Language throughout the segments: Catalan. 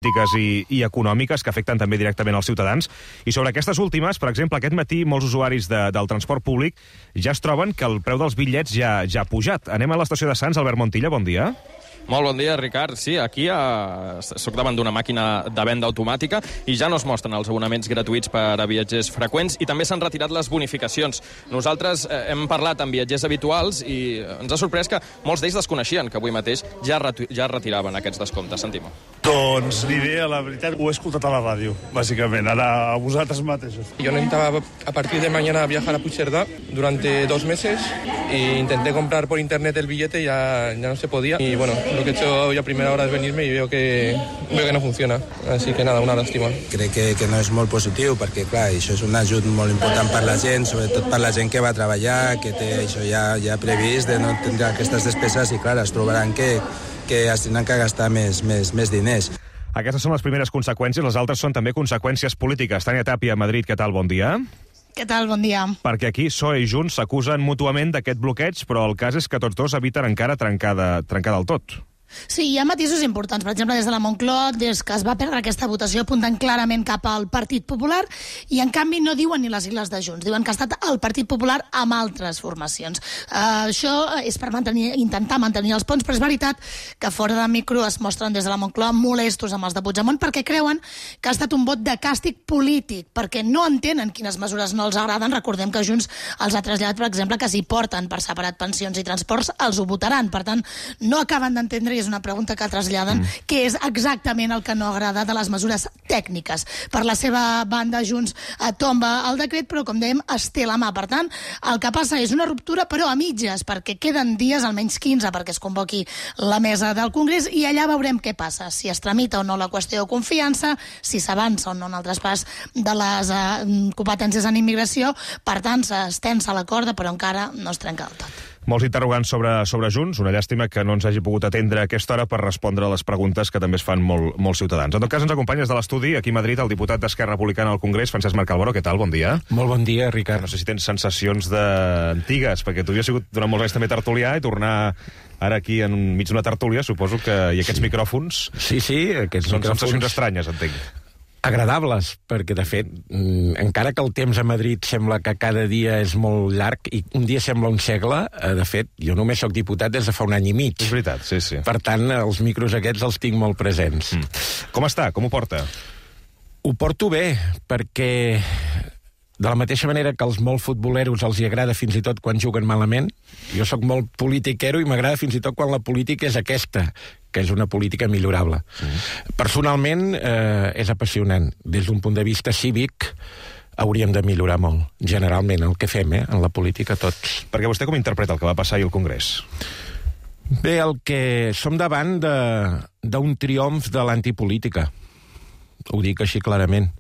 polítiques i econòmiques que afecten també directament els ciutadans. I sobre aquestes últimes, per exemple, aquest matí molts usuaris del transport públic ja es troben que el preu dels bitllets ja ha pujat. Anem a l'estació de Sants. Albert Montilla, bon dia. Molt bon dia, Ricard. Sí, aquí soc davant d'una màquina de venda automàtica i ja no es mostren els abonaments gratuïts per a viatgers freqüents i també s'han retirat les bonificacions. Nosaltres hem parlat amb viatgers habituals i ens ha sorprès que molts d'ells desconeixien que avui mateix ja retiraven aquests descomptes. Sentim-ho. Doncs ni idea, la veritat, ho he escoltat a la ràdio, bàsicament, ara a vosaltres mateixos. Yo necesitaba a partir de mañana viajar a Puigcerdá durante 2 meses e intenté comprar por internet el billete y ya no se podía. Y bueno, lo que he hecho hoy a primera hora es venirme y veo que no funciona. Así que nada, una lástima. Crec que no és molt positiu perquè, clar, això és un ajut molt important per la gent, sobretot per la gent que va treballar, que té això ja previst de no tindre aquestes despeses i, clar, es trobaran que es tindran que gastar més diners. Aquestes són les primeres conseqüències, les altres són també conseqüències polítiques. Tània Tàpia, Madrid, què tal? Bon dia. Què tal? Bon dia. Perquè aquí PSOE i Junts s'acusen mútuament d'aquest bloqueig, però el cas és que tots dos eviten encara trencar del tot. Sí, hi ha matisos importants. Per exemple, des de la Moncloa, des que es va perdre aquesta votació, apunten clarament cap al Partit Popular i, en canvi, no diuen ni les sigles de Junts. Diuen que ha estat el Partit Popular amb altres formacions. Això és per intentar mantenir els ponts, però és veritat que fora de micro es mostren des de la Moncloa molestos amb els de Puigdemont perquè creuen que ha estat un vot de càstig polític, perquè no entenen quines mesures no els agraden. Recordem que Junts els ha traslladat, per exemple, que si porten per separat pensions i transports, els ho votaran. Per tant, no acaben d'entendre, és una pregunta que traslladen, què és exactament el que no agrada de les mesures tècniques. Per la seva banda, Junts tomba el decret, però, com dèiem, es té la mà. Per tant, el que passa és una ruptura, però a mitges, perquè queden dies, almenys 15, perquè es convoqui la mesa del Congrés, i allà veurem què passa, si es tramita o no la qüestió de confiança, si s'avança o no en el traspàs de les competències en immigració. Per tant, s'estensa la corda, però encara no es trenca del tot. Molts interrogants sobre Junts. Una llàstima que no ens hagi pogut atendre a aquesta hora per respondre a les preguntes que també es fan molts ciutadans. En tot cas, ens acompanya des de l'estudi, aquí a Madrid, el diputat d'Esquerra Republicana al Congrés, Francesc Marc Alboro. Què tal? Bon dia. Molt bon dia, Ricard. No sé si tens sensacions antigues, perquè tu havies sigut durant molts anys també tertulià i tornar ara aquí enmig d'una tertúlia, suposo que hi ha aquests micròfons. Sí, aquests són micròfons... sensacions estranyes, entenc. Agradables, perquè, de fet, encara que el temps a Madrid sembla que cada dia és molt llarg i un dia sembla un segle, de fet, jo només sóc diputat des de fa un any i mig. És veritat, sí. Per tant, els micros aquests els tinc molt presents. Com està? Com ho porta? Ho porto bé, perquè de la mateixa manera que als molt futboleros els hi agrada fins i tot quan juguen malament, jo sóc molt politiquero i m'agrada fins i tot quan la política és aquesta, que és una política millorable. Personalment, és apassionant. Des d'un punt de vista cívic, hauríem de millorar molt, generalment, el que fem, en la política tots. Perquè vostè com interpreta el que va passar ahir al Congrés? Bé, el que som davant d'un triomf de l'antipolítica. Ho dic així clarament.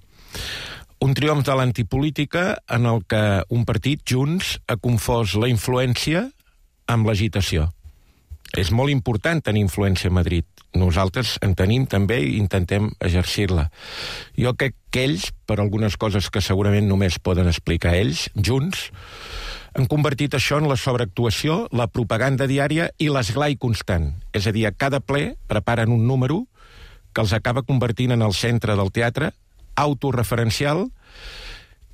Un triomf de l'antipolítica en el que un partit, Junts, ha confós la influència amb l'agitació. És molt important tenir influència a Madrid. Nosaltres en tenim també i intentem exercir-la. Jo crec que ells, per algunes coses que segurament només poden explicar ells, Junts, han convertit això en la sobreactuació, la propaganda diària i l'esglai constant. És a dir, a cada ple preparen un número que els acaba convertint en el centre del teatre, autorreferencial,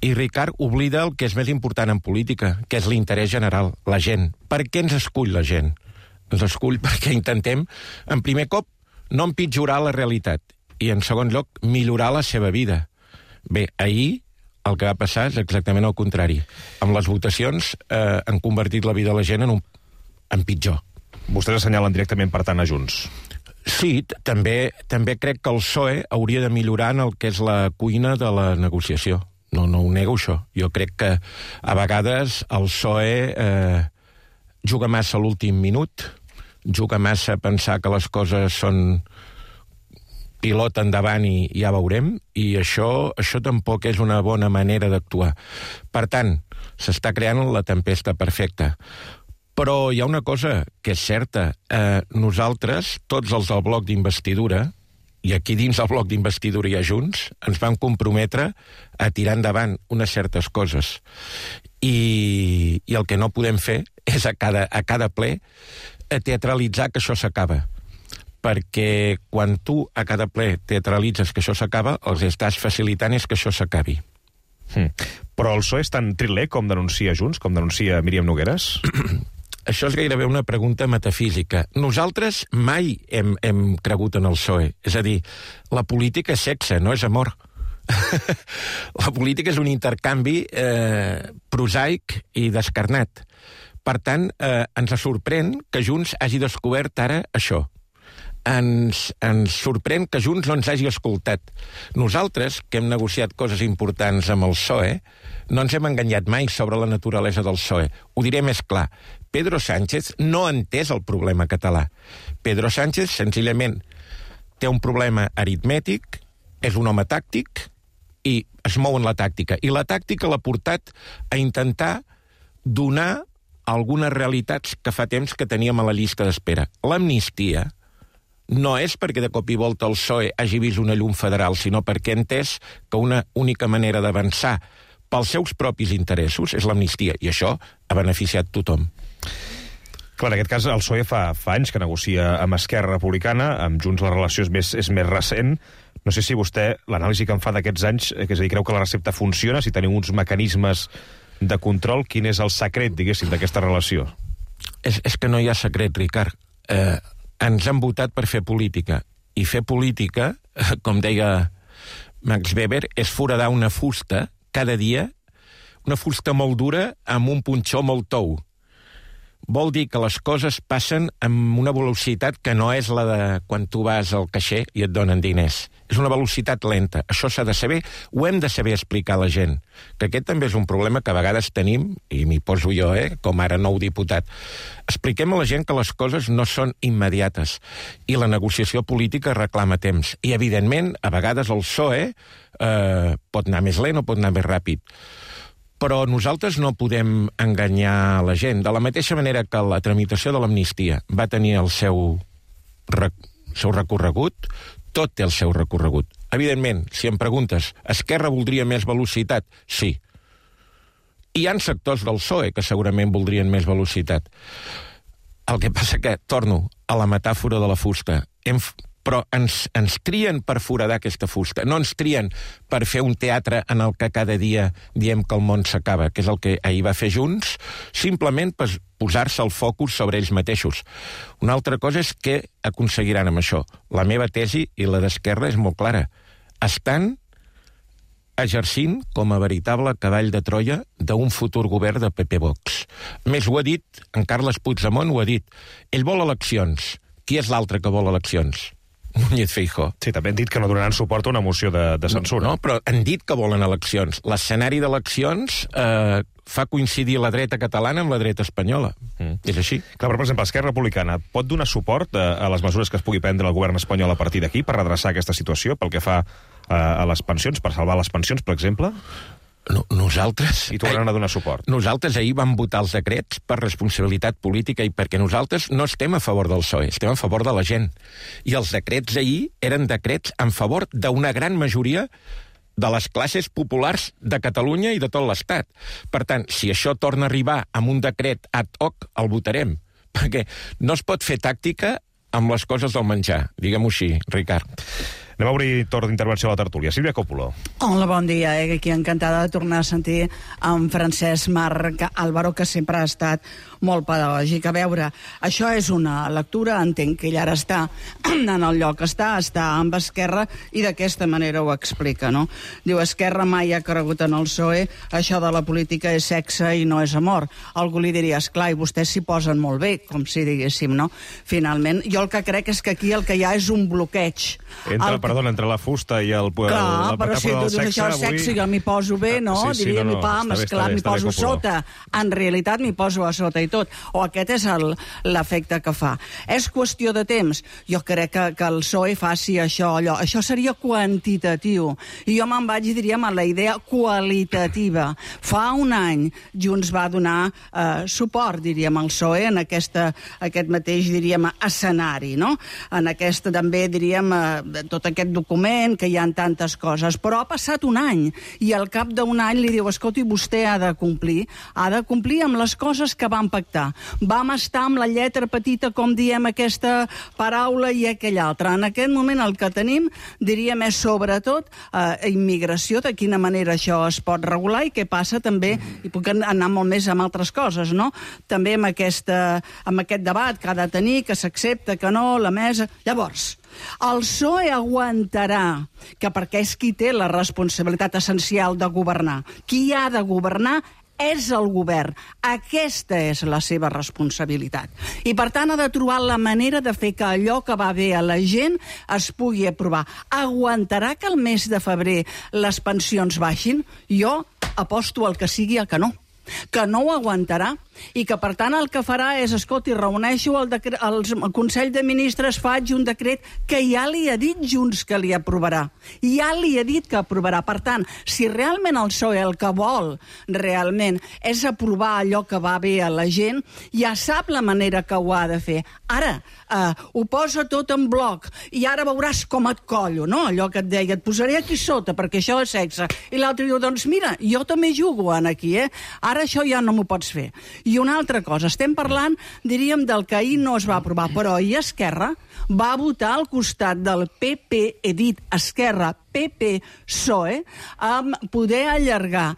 i Ricard oblida el que és més important en política, que és l'interès general, la gent. Per què ens escull la gent? Ens escull perquè intentem, en primer cop, no empitjorar la realitat i, en segon lloc, millorar la seva vida. Bé, ahir el que va passar és exactament el contrari. Amb les votacions han convertit la vida de la gent en pitjor. Vostès assenyalen directament, per tant, a Junts. Sí, també crec que el PSOE hauria de millorar en el que és la cuina de la negociació. No ho nego, això. Jo crec que a vegades el PSOE juga massa a l'últim minut, juga massa a pensar que les coses són pilot endavant i ja veurem, i això tampoc és una bona manera d'actuar. Per tant, s'està creant la tempesta perfecta. Però hi ha una cosa que és certa. Nosaltres, tots els del bloc d'investidura, i aquí dins del bloc d'investidura hi ha Junts, ens vam comprometre a tirar endavant unes certes coses. I el que no podem fer és a cada ple teatralitzar que això s'acaba. perquè quan tu a cada ple teatralitzes que això s'acaba, els estàs facilitant és que això s'acabi. Però el PSOE és tan triler com denuncia Junts, com denuncia Míriam Nogueras? Això és gairebé una pregunta metafísica. Nosaltres mai hem cregut en el PSOE. És a dir, la política és sexe, no és amor. La política és un intercanvi prosaic i descarnat. Per tant, ens sorprèn que Junts hagi descobert ara això. Ens sorprèn que Junts no ens hagi escoltat. Nosaltres, que hem negociat coses importants amb el PSOE, no ens hem enganyat mai sobre la naturalesa del PSOE. Ho diré més clar. Pedro Sánchez no ha entès el problema català. Pedro Sánchez, senzillament, té un problema aritmètic, és un home tàctic i es mou en la tàctica. I la tàctica l'ha portat a intentar donar algunes realitats que fa temps que teníem a la llista d'espera. L'amnistia no és perquè de cop i volta el PSOE hagi vist una llum federal, sinó perquè ha entès que una única manera d'avançar pels seus propis interessos és l'amnistia, i això ha beneficiat tothom. Clar, en aquest cas el PSOE fa anys que negocia amb Esquerra Republicana, amb Junts la relació és més recent. No sé si vostè, l'anàlisi que en fa d'aquests anys, és a dir, creu que la recepta funciona, si teniu uns mecanismes de control, quin és el secret, diguéssim, d'aquesta relació? És que no hi ha secret, Ricard. Ens han votat per fer política. I fer política, com deia Max Weber, és foradar una fusta cada dia, una fusta molt dura amb un punxó molt tou. Vol dir que les coses passen amb una velocitat que no és la de quan tu vas al caixer i et donen diners. És una velocitat lenta. Això s'ha de saber, ho hem de saber explicar a la gent. Que aquest també és un problema que a vegades tenim, i m'hi poso jo, com ara nou diputat. Expliquem a la gent que les coses no són immediates i la negociació política reclama temps. I, evidentment, a vegades el PSOE pot anar més lent o pot anar més ràpid. Però nosaltres no podem enganyar la gent. De la mateixa manera que la tramitació de l'amnistia va tenir el seu recorregut, tot té el seu recorregut. Evidentment, si em preguntes, Esquerra voldria més velocitat? Sí. Hi ha sectors del PSOE que segurament voldrien més velocitat. El que passa que, torno a la metàfora de la fusta, però ens trien per foradar aquesta fusta, no ens trien per fer un teatre en el que cada dia diem que el món s'acaba, que és el que ahir va fer Junts, simplement per posar-se el focus sobre ells mateixos. Una altra cosa és què aconseguiran amb això. La meva tesi i la d'Esquerra és molt clara. Estan exercint com a veritable cavall de Troia d'un futur govern de PP-Vox. A més, ho ha dit, en Carles Puigdemont ho ha dit. Ell vol eleccions. Qui és l'altre que vol eleccions? Núñez Feijóo. Sí, també han dit que no donaran suport a una moció de censura. No, però han dit que volen eleccions. L'escenari d'eleccions fa coincidir la dreta catalana amb la dreta espanyola. És així. Clar, però, per exemple, Esquerra Republicana pot donar suport a les mesures que es pugui prendre el govern espanyol a partir d'aquí per redreçar aquesta situació, pel que fa a les pensions, per salvar les pensions, per exemple? Nosaltres... I tornaran a donar suport. Nosaltres ahir vam votar els decrets per responsabilitat política i perquè nosaltres no estem a favor del PSOE, estem a favor de la gent. I els decrets ahir eren decrets en favor d'una gran majoria de les classes populars de Catalunya i de tot l'Estat. Per tant, si això torna a arribar amb un decret ad hoc, el votarem. Perquè no es pot fer tàctica amb les coses del menjar, diguem-ho així, Ricard. Anem a obrir torn d'intervenció a la tertúlia. Sílvia Coppola. Hola, bon dia. Aquí encantada de tornar a sentir en Francesc Marc Álvaro, que sempre ha estat molt pedagògic. A veure, això és una lectura, entenc que ell ara està en el lloc que està amb Esquerra, i d'aquesta manera ho explica, no? Diu, Esquerra mai ha cregut en el PSOE, això de la política és sexe i no és amor. Algú li diria, esclar, i vostès s'hi posen molt bé, com si diguéssim, no? Finalment, jo el que crec és que aquí el que hi ha és un bloqueig. Entre la fusta i el... Clar, però si tu dius això és sexe, jo m'hi poso bé, no? Diria, esclar, m'hi poso sota. En realitat m'hi poso a sota i tot. O aquest és l'efecte que fa. És qüestió de temps. Jo crec que el PSOE faci això, allò. Això seria quantitatiu. I jo me'n vaig, diríem, a la idea qualitativa. Fa un any Junts va donar suport, diríem, al PSOE en aquest mateix, diríem, escenari, no? En aquest, també, diríem, tot aquest document, que hi ha tantes coses, però ha passat un any, i al cap d'un any li diu, escolti, vostè ha de complir amb les coses que vam pactar. Vam estar amb la lletra petita, com diem aquesta paraula i aquella altra. En aquest moment el que tenim, diríem, és sobretot immigració, de quina manera això es pot regular i què passa també, i puc anar molt més amb altres coses, no? També amb aquest debat que ha de tenir, que s'accepta, que no, la mesa... Llavors, el PSOE aguantarà, que perquè és qui té la responsabilitat essencial de governar. Qui ha de governar és el govern. Aquesta és la seva responsabilitat. I, per tant, ha de trobar la manera de fer que allò que va bé a la gent es pugui aprovar. Aguantarà que el mes de febrer les pensions baixin? Jo aposto al que sigui a que no ho aguantarà, i que, per tant, el que farà és, escolti, reuneixo el Consell de Ministres, faig un decret que ja li ha dit Junts que li aprovarà. Ja li ha dit que aprovarà. Per tant, si realment el PSOE el que vol realment és aprovar allò que va bé a la gent, ja sap la manera que ho ha de fer. Ara, ho posa tot en bloc, i ara veuràs com et collo, no? Allò que et deia, et posaré aquí sota, perquè això és sexe. I l'altre diu, doncs mira, jo també jugo aquí, Ara això ja no m'ho pots fer. I una altra cosa, estem parlant, diríem, del que ahir no es va aprovar, però ahir Esquerra va votar al costat del PP, he dit Esquerra, PP, PSOE, amb poder allargar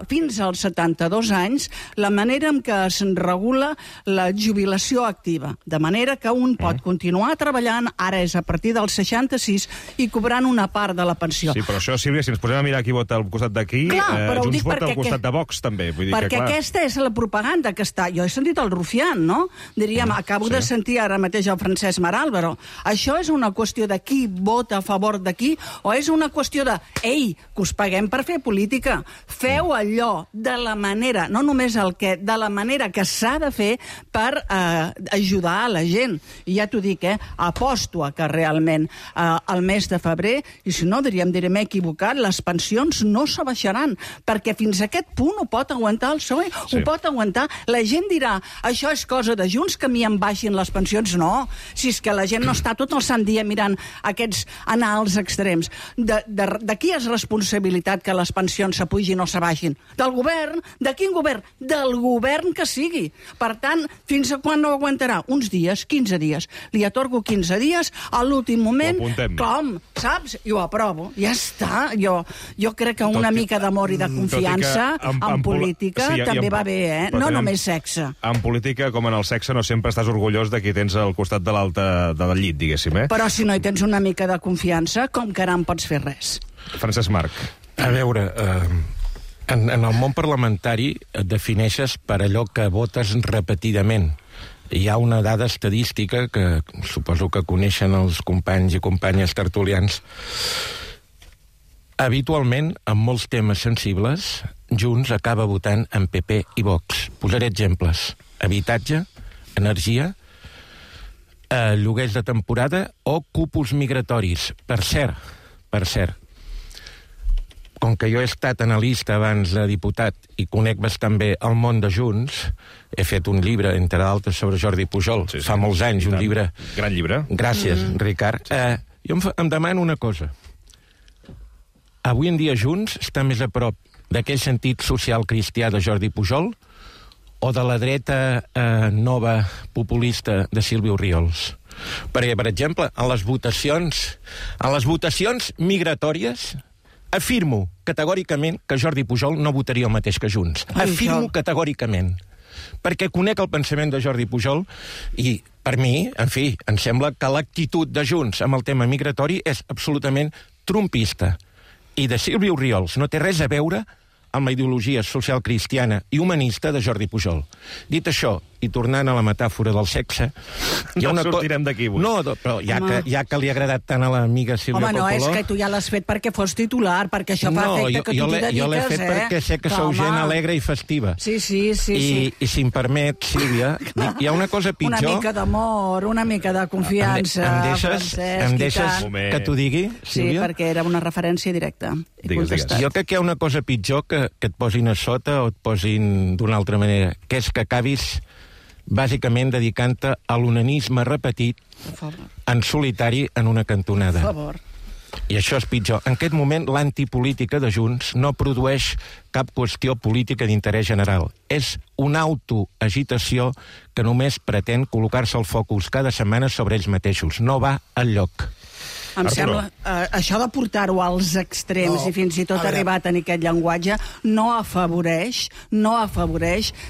fins als 72 anys la manera en què es regula la jubilació activa, de manera que un pot continuar treballant, ara és a partir dels 66, i cobrant una part de la pensió. Sí, però això, Sílvia, si ens posem a mirar qui vota al costat d'aquí, Junts vota al costat de Vox, també. Vull dir perquè aquesta és la propaganda que està... Jo he sentit el Rufián, no? Diríem, acabo de sentir ara mateix el Francesc Maral, però això és una qüestió de qui vota a favor de qui, o és una qüestió de, ei, que us paguem per fer política, feu allò de la manera, no només el que, de la manera que s'ha de fer per ajudar a la gent. I ja t'ho dic, aposto a que realment al mes de febrer, i si no, diríem, m'he equivocat, les pensions no s'abaixaran, perquè fins a aquest punt ho pot aguantar el PSOE, ho pot aguantar. La gent dirà, això és cosa de Junts, que a mi em baixin les pensions. No, si és que la gent no està tot el sant dia mirant aquests anar als extrems. De qui és responsabilitat que les pensions s'apugin o s'abaixin? Del govern? De quin govern? Del govern que sigui. Per tant, fins a quan no aguantarà? Uns dies, 15 dies. Li atorgo 15 dies, a l'últim moment, com? Saps? Jo aprovo. Ja està. Jo crec que una mica d'amor i de confiança en política també va bé, no només sexe. En política, com en el sexe, no sempre estàs orgullós de qui tens al costat de l'altre del llit, diguéssim, Però si no hi tens una mica de confiança, com que ara no pots fer res. Francesc Marc. A veure, en el món parlamentari et defineixes per allò que votes repetidament. Hi ha una dada estadística que suposo que coneixen els companys i companyes tertulians. Habitualment, en molts temes sensibles, Junts acaba votant en PP i Vox. Posaré exemples. Habitatge, energia, lloguers de temporada o cúpuls migratoris. Per cert, com que jo he estat analista abans de diputat i conec bastant bé el món de Junts, he fet un llibre, entre d'altres, sobre Jordi Pujol, fa molts anys, un llibre... Gran llibre. Gràcies, Ricard. Jo em demano una cosa. Avui en dia Junts està més a prop d'aquell sentit social cristià de Jordi Pujol o de la dreta nova populista de Sílvia Orriols? Perquè, per exemple, en les votacions migratòries afirmo categòricament que Jordi Pujol no votaria el mateix que Junts. Afirmo categòricament. Perquè conec el pensament de Jordi Pujol i, per mi, en fi, em sembla que l'actitud de Junts amb el tema migratori és absolutament trumpista. I de Sílvia Orriols no té res a veure amb la ideologia social cristiana i humanista de Jordi Pujol. Dit això, i tornant a la metàfora del sexe... No sortirem d'aquí avui. No, però ja que li ha agradat tant a l'amiga Sílvia Coppola... Home, no, és que tu ja l'has fet perquè fos titular, perquè això fa efecte que tu t'hi dediques, Jo l'he fet perquè sé que sou gent alegre i festiva. Sí. I si em permet, Sílvia, hi ha una cosa pitjor... Una mica d'amor, una mica de confiança, Em deixes que t'ho digui, Sílvia? Sí, perquè era una referència directa. Digues. Jo crec que hi ha una cosa pitjor que et posin a sota o et posin d'una altra manera, que és que acabis bàsicament dedicant-te a l'onanisme repetit en solitari en una cantonada. Per favor. I això és pitjor. En aquest moment, l'antipolítica de Junts no produeix cap qüestió política d'interès general. És una autoagitació que només pretén col·locar-se el focus cada setmana sobre ells mateixos. No va enlloc. Em sembla, això de portar-ho als extrems i fins i tot arribar a tenir aquest llenguatge no afavoreix,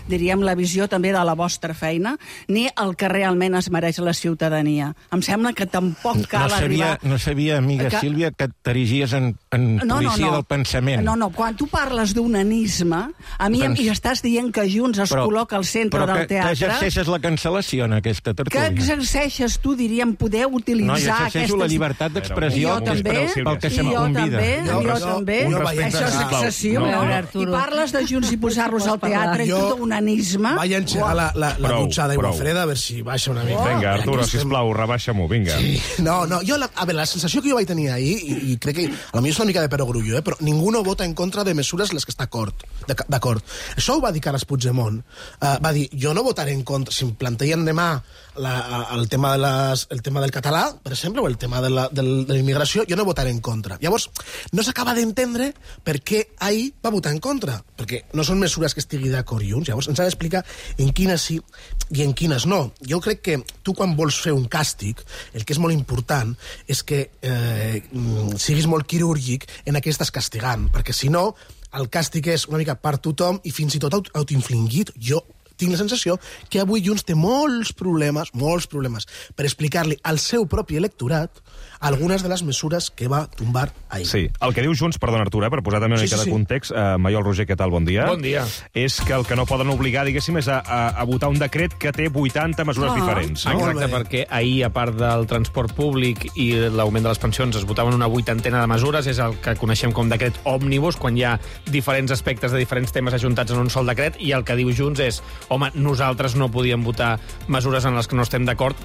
diríem, la visió també de la vostra feina, ni el que realment es mereix la ciutadania. Em sembla que tampoc cal arribar... No sabia, amiga Sílvia, que t'erigies en policia del pensament. No, quan tu parles d'un anisme, a mi i estàs dient que Junts es col·loca al centre del teatre... Però que exerceixes la cancel·lació en aquesta tertúlia. Que exerceix tu, diríem, poder utilitzar aquestes... No, jo exerceixo la llibertat d'expressió pel que se me convida. Jo també. Això és excessiu, no? I parles de Junts i posar-los al teatre i tot un anisme. Vaig engegar la dutxa d'aigua freda, a veure si baixa una mica. Vinga, Arturo, sisplau, rebaixa-m'ho, vinga. No, jo, a veure, la sensació que jo vaig tenir ahir, i crec que potser és una mica de perogrullo, però ningú no vota en contra de mesures les que està d'acord. Això ho va dir Carles Puigdemont. Va dir, jo no votaré en contra, si em planteien demà el tema del català, per exemple, o el tema de la immigració, jo no votaré en contra. Llavors, no s'acaba d'entendre per què ahir va votar en contra, perquè no són mesures que estigui d'acord Junts. Llavors, ens ha d'explicar en quines sí i en quines no. Jo crec que tu, quan vols fer un càstig, el que és molt important és que siguis molt quirúrgic en què estàs castigant, perquè si no, el càstig és una mica per tothom i fins i tot autoinfligit. Jo tinc la sensació que avui Junts té molts problemes per explicar-li al seu propi electorat algunes de les mesures que va tombar ahir. Sí, el que diu Junts, perdona Artur, per posar també una mica de context, Maiol Roger, què tal? Bon dia. Bon dia. És que el que no poden obligar, diguéssim, és a votar un decret que té 80 mesures diferents. No? Exacte, perquè ahir, a part del transport públic i l'augment de les pensions, es votaven una 80ena de mesures, és el que coneixem com decret òmnibus, quan hi ha diferents aspectes de diferents temes ajuntats en un sol decret, i el que diu Junts és, home, nosaltres no podíem votar mesures en les que no estem d'acord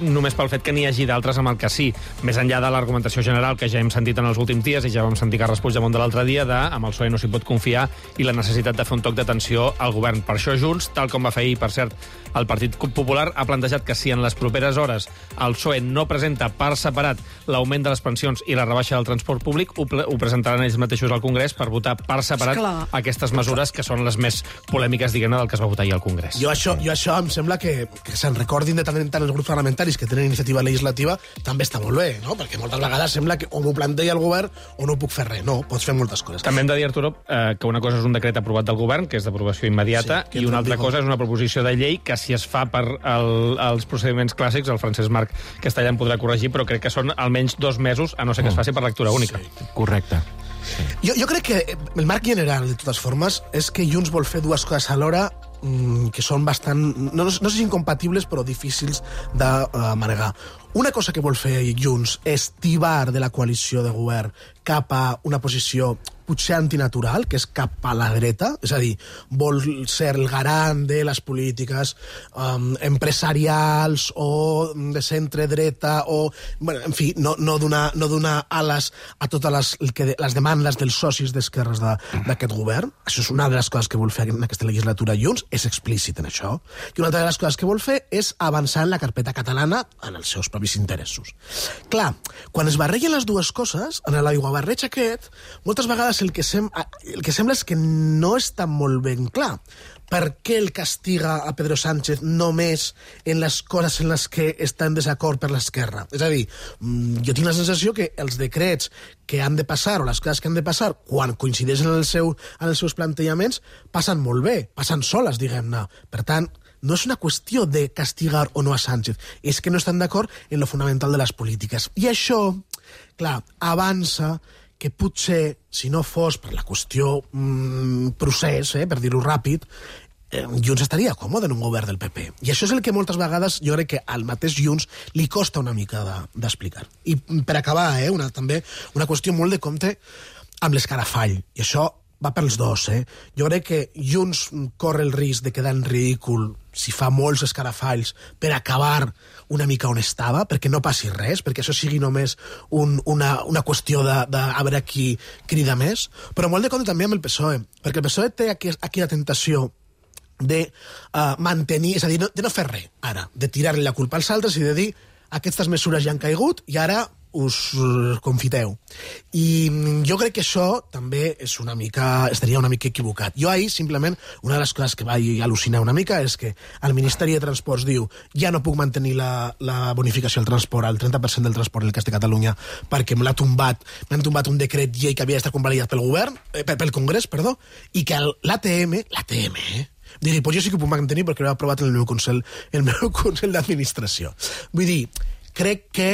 només pel fet que n'hi hagi d'altres amb el que sí. Més enllà de l'argumentació general que ja hem sentit en els últims dies, i ja vam sentir Carles Puigdemont de l'altre dia, amb el PSOE no s'hi pot confiar i la necessitat de fer un toc d'atenció al govern. Per això Junts, tal com va fer ahir, per cert, el Partit Popular, ha plantejat que si en les properes hores el PSOE no presenta per separat l'augment de les pensions i la rebaixa del transport públic, ho presentaran ells mateixos al Congrés per votar per separat aquestes mesures que són les més polèmiques, diguem-ne, del que es va votar ahir al Congrés. Jo això em sembla que se'n recordin de tant en tant els grups parlamentaris que tenen iniciativa legislativa, també està molt bé, no? Perquè moltes vegades sembla que o m'ho planteja el govern o no puc fer res. No, pots fer moltes coses. També hem de dir, Arturo, que una cosa és un decret aprovat del govern, que és d'aprovació immediata, i una altra cosa és una proposició de llei que, si es fa per els procediments clàssics, el Francesc Marc Castellà em podrà corregir, però crec que són almenys 2 mesos, a no ser que es faci per lectura única. Sí. Correcte. Sí. Jo crec que el marc general, de totes formes, és que Junts vol fer dues coses alhora que són bastant, no sé si incompatibles, però difícils de manegar. Una cosa que vol fer Junts és tibar de la coalició de govern cap a una posició potser antinatural, que és cap a la dreta, és a dir, vol ser el garant de les polítiques empresarials o de centre-dreta, o, bueno, en fi, no donar ales a totes les demandes dels socis d'esquerres d'aquest govern. Això és una de les coses que vol fer en aquesta legislatura Junts, és explícit en això. I una altra de les coses que vol fer és avançar en la carpeta catalana en els seus propis interessos. Clar, quan es barregen les dues coses, en l'aiguabarreig aquest, moltes vegades el que sembla és que no està molt ben clar. Per què el castiga a Pedro Sánchez només en les coses en les que està en desacord per l'esquerra? És a dir, jo tinc la sensació que els decrets que han de passar, o les coses que han de passar, quan coincideixen en els seus plantejaments, passen molt bé, passen soles, diguem-ne. Per tant, no és una qüestió de castigar o no a Sánchez, és que no estan d'acord en lo fonamental de les polítiques. I això, clar, avança que potser, si no fos per la qüestió procés, per dir-ho ràpid, Junts estaria còmode en un govern del PP. I això és el que moltes vegades jo crec que al mateix Junts li costa una mica d'explicar. I per acabar, també una qüestió molt de compte amb l'escarafall. I això va pels dos, Jo crec que Junts corre el risc de quedar en ridícul si fa molts escarafalls per acabar una mica on estava, perquè no passi res, perquè això sigui només una qüestió de a veure qui crida més, però molt de compte també amb el PSOE, perquè el PSOE té aquí la tentació de mantenir, és a dir, de no fer res ara, de tirar-li la culpa als altres i de dir aquestes mesures ja han caigut i ara us confiteu. I jo crec que això també estaria una mica equivocat. Jo ahir, simplement, una de les coses que vaig al·lucinar una mica és que el Ministeri de Transports diu ja no puc mantenir la bonificació al transport, al 30% del transport en el cas de Catalunya, perquè m'han tombat un decret llei que havia d'estar convalidat pel Congrés, i que l'ATM, digui, pues jo sí que ho puc mantenir perquè l'he aprovat en el meu Consell d'Administració. Vull dir, crec que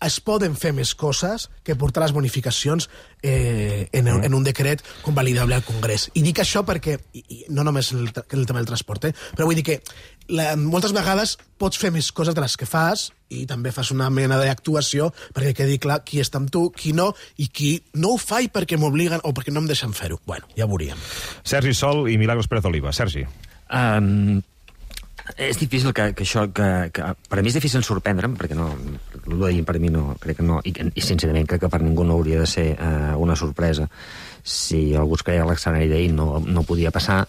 es poden fer més coses que portar les bonificacions en un decret convalidable al Congrés. I dic això perquè, no només en el tema del transport, però vull dir que moltes vegades pots fer més coses de les que fas i també fas una mena d'actuació perquè quedi clar qui està amb tu, qui no, i qui no ho fa perquè m'obliguen o perquè no em deixen fer-ho. Bueno, ja ho veuríem. Sergi Sol i Milagros Pérez Oliva. Sergi. És difícil que això... Per a mi és difícil sorprendre'm, perquè no... El d'ahir per mi no... Crec que no... I sincerament crec que per ningú no hauria de ser una sorpresa. Si algú es creia l'escenari d'ahir no podia passar,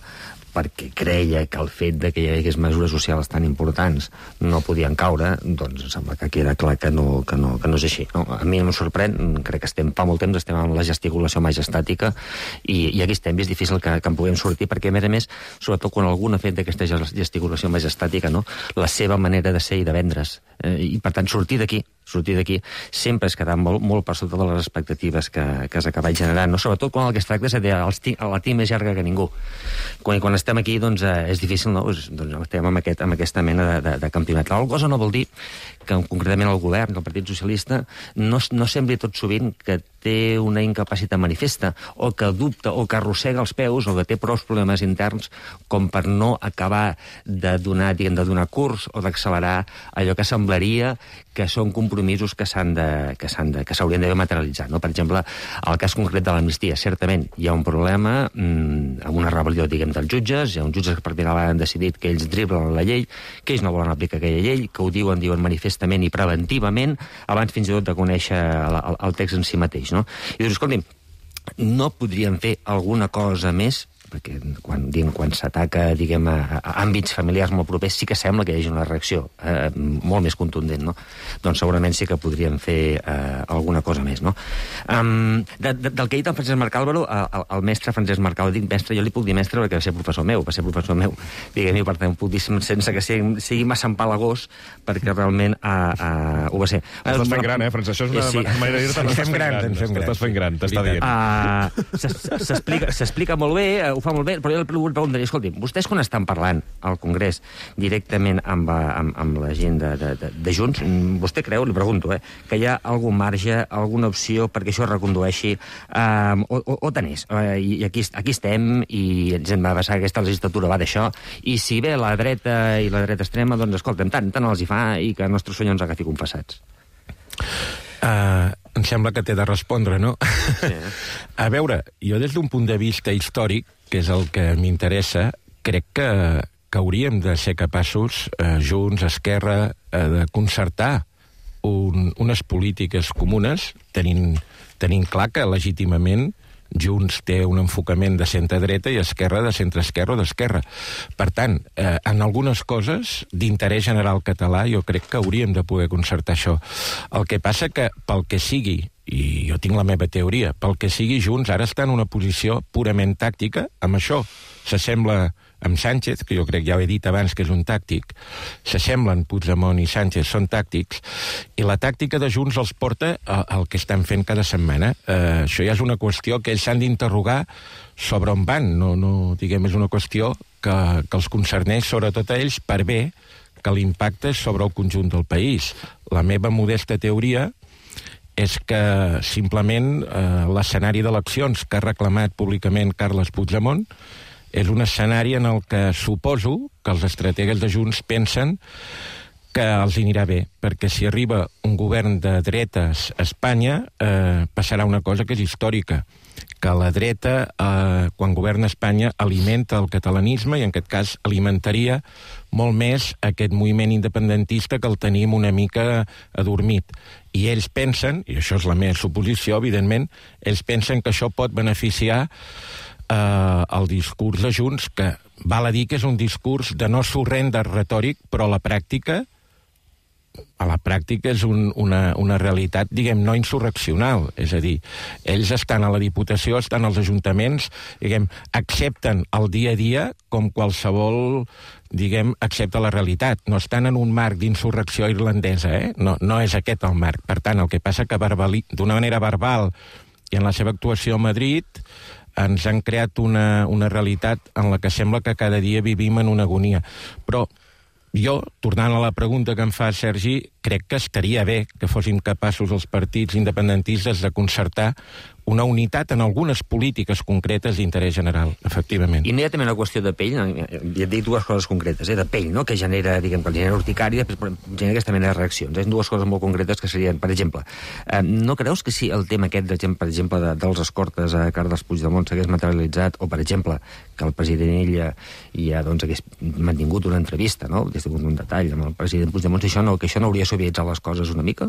perquè creia que el fet de que hi hagués mesures socials tan importants no podien caure, doncs em sembla que queda clar que no és així. No? A mi em sorprèn, crec que fa molt temps estem amb la gesticulació majestàtica i aquí estem, i és difícil que en puguem sortir, perquè a més, sobretot quan algú ha fet d'aquesta gesticulació majestàtica, no? La seva manera de ser i de vendre's, i per tant sortir d'aquí sempre és quedar molt per sota de les expectatives que has acabat generant, no? Sobretot quan el que es tracta és de la tim més llarga que ningú. Quan estem aquí, doncs, és difícil, no? Doncs estem amb aquesta mena de campionat. La cosa no vol dir que concretament el govern, el Partit Socialista, no sembli tot sovint que té una incapacitat manifesta, o que dubta, o que arrossega els peus, o que té prou problemes interns com per no acabar de donar curs o d'accelerar allò que semblaria que són compromisos que s'haurien d'haver materialitzat. No? Per exemple, el cas concret de l'amnistia. Certament, hi ha un problema amb una rebel·lió, dels jutges. Hi ha uns jutges que pràcticament han decidit que ells driblen la llei, que ells no volen aplicar aquella llei, que ho diuen manifestament i preventivament, abans fins i tot de conèixer el text en si mateix. No? I dius, escolti'm, no podríem fer alguna cosa més? Perquè quan s'ataca, a àmbits familiars molt propers, sí que sembla que hi hagi una reacció molt més contundent, no? Doncs segurament sí que podríem fer alguna cosa més, no? Del que ha dit el Francesc Marc Álvaro, el mestre Francesc Marc Álvaro, dic mestre, jo li puc dir mestre perquè va ser professor meu, diguem-hi, per tant, puc dir sense que sigui massa empalagós, perquè realment ho va ser. Estàs fent gran, Francesc? Això és una manera de dir-te, estàs fent gran, t'està dient. S'explica molt bé, ho fa molt bé, però jo li preguntaria, escolti, vostès quan estan parlant al Congrés directament amb la gent de Junts, vostè creu, li pregunto, que hi ha algun marge, alguna opció perquè això es recondueixi, o tant és? I aquí estem, i ens hem de passar, aquesta legislatura va d'això, i si ve la dreta i la dreta extrema, doncs escolta'm, tant els hi fa, i que el nostre senyor ens agafi confessats. Em sembla que t'he de respondre, no? Sí. A veure, jo des d'un punt de vista històric, que és el que m'interessa, crec que hauríem de ser capaços, Junts, Esquerra, de concertar unes polítiques comunes, tenint clar que legítimament Junts té un enfocament de centre-dreta i Esquerra de centre-esquerra o d'esquerra. Per tant, en algunes coses d'interès general català jo crec que hauríem de poder concertar això. El que passa que, pel que sigui, i jo tinc la meva teoria, pel que sigui Junts ara està en una posició purament tàctica, amb això s'assembla amb Sánchez, que jo crec, ja ho he dit abans, que és un tàctic, s'assemblen Puigdemont i Sánchez, són tàctics, i la tàctica de Junts els porta al que estan fent cada setmana. Això ja és una qüestió que ells s'han d'interrogar sobre on van, diguem, és una qüestió que els concerneix sobretot a ells per bé que l'impacte és sobre el conjunt del país. La meva modesta teoria és que simplement l'escenari d'eleccions que ha reclamat públicament Carles Puigdemont és un escenari en el que suposo que els estrategues de Junts pensen que els anirà bé, perquè si arriba un govern de dretes a Espanya passarà una cosa que és històrica, que la dreta, quan governa Espanya, alimenta el catalanisme i en aquest cas alimentaria molt més aquest moviment independentista que el tenim una mica adormit. I ells pensen, i això és la meva suposició, evidentment, ells pensen que això pot beneficiar el discurs de Junts, que val a dir que és un discurs de no sorrent de retòric, però a la pràctica a la pràctica és una realitat, diguem, no insurreccional. És a dir, ells estan a la Diputació, estan als ajuntaments, diguem, accepten el dia a dia com qualsevol, diguem, accepta la realitat. No estan en un marc d'insurrecció irlandesa, No és aquest el marc. Per tant, el que passa que d'una manera verbal i en la seva actuació a Madrid ens han creat una realitat en la que sembla que cada dia vivim en una agonia. Però jo, tornant a la pregunta que em fa Sergi, crec que estaria bé que fóssim capaços els partits independentistes de concertar una unitat en algunes polítiques concretes d'interès general, efectivament. I no hi ha també una qüestió de pell, ja et dic dues coses concretes, de pell, no?, que genera, diguem, que genera urticària i després genera aquesta mena de reaccions. Dues coses molt concretes que serien, per exemple, no creus que si el tema aquest, per exemple, dels escortes a Carles Puigdemont s'hagués materialitzat, o, per exemple, que el president ella ja hagués mantingut una entrevista, no?, hagués tingut un detall amb el president Puigdemont, que això no hauria suavitzat les coses una mica?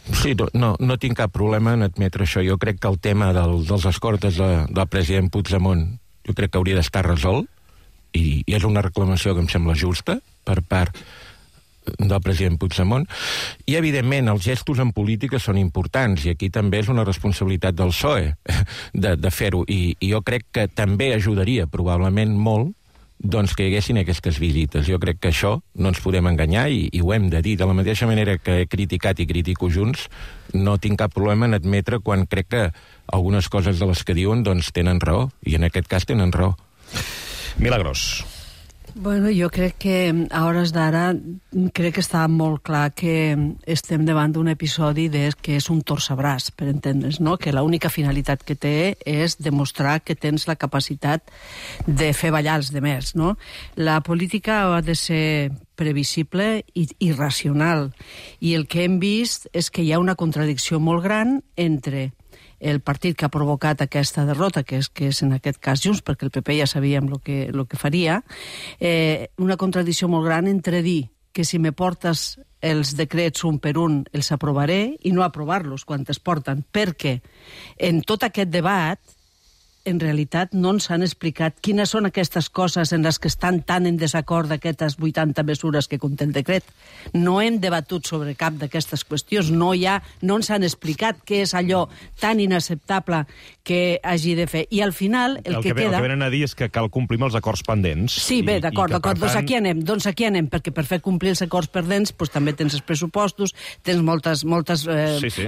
Sí, no tinc cap problema en admetre això. Jo crec que el tema dels escortes del president Puigdemont jo crec que hauria d'estar resolt i és una reclamació que em sembla justa per part del president Puigdemont. I, evidentment, els gestos en política són importants i aquí també és una responsabilitat del PSOE de fer-ho. I jo crec que també ajudaria probablement molt doncs que hi haguessin aquestes visites. Jo crec que això no ens podem enganyar i ho hem de dir. De la mateixa manera que he criticat i critico Junts, no tinc cap problema en admetre quan crec que algunes coses de les que diuen doncs tenen raó, i en aquest cas tenen raó. Milagros. Bueno, jo crec que a hores d'ara crec que està molt clar que estem davant d'un episodi que és un torçabràs, per entendre's, no? Que l'única finalitat que té és demostrar que tens la capacitat de fer ballar els demés, no? La política ha de ser previsible i racional, i el que hem vist és que hi ha una contradicció molt gran entre el partit que ha provocat aquesta derrota, que és en aquest cas Junts, perquè el PP ja sabíem el que faria, una contradicció molt gran entre dir que si me portes els decrets un per un els aprovaré i no aprovar-los quan es porten, perquè en tot aquest debat en realitat no ens han explicat quines són aquestes coses en les que estan tan en desacord d'aquestes 80 mesures que conté el decret. No hem debatut sobre cap d'aquestes qüestions, no ens han explicat què és allò tan inacceptable que hagi de fer. I al final el que queda... El que venen a dir és que cal complir els acords pendents. Sí, bé, d'acord. Doncs aquí anem, perquè per fer complir els acords pendents també tens els pressupostos, tens moltes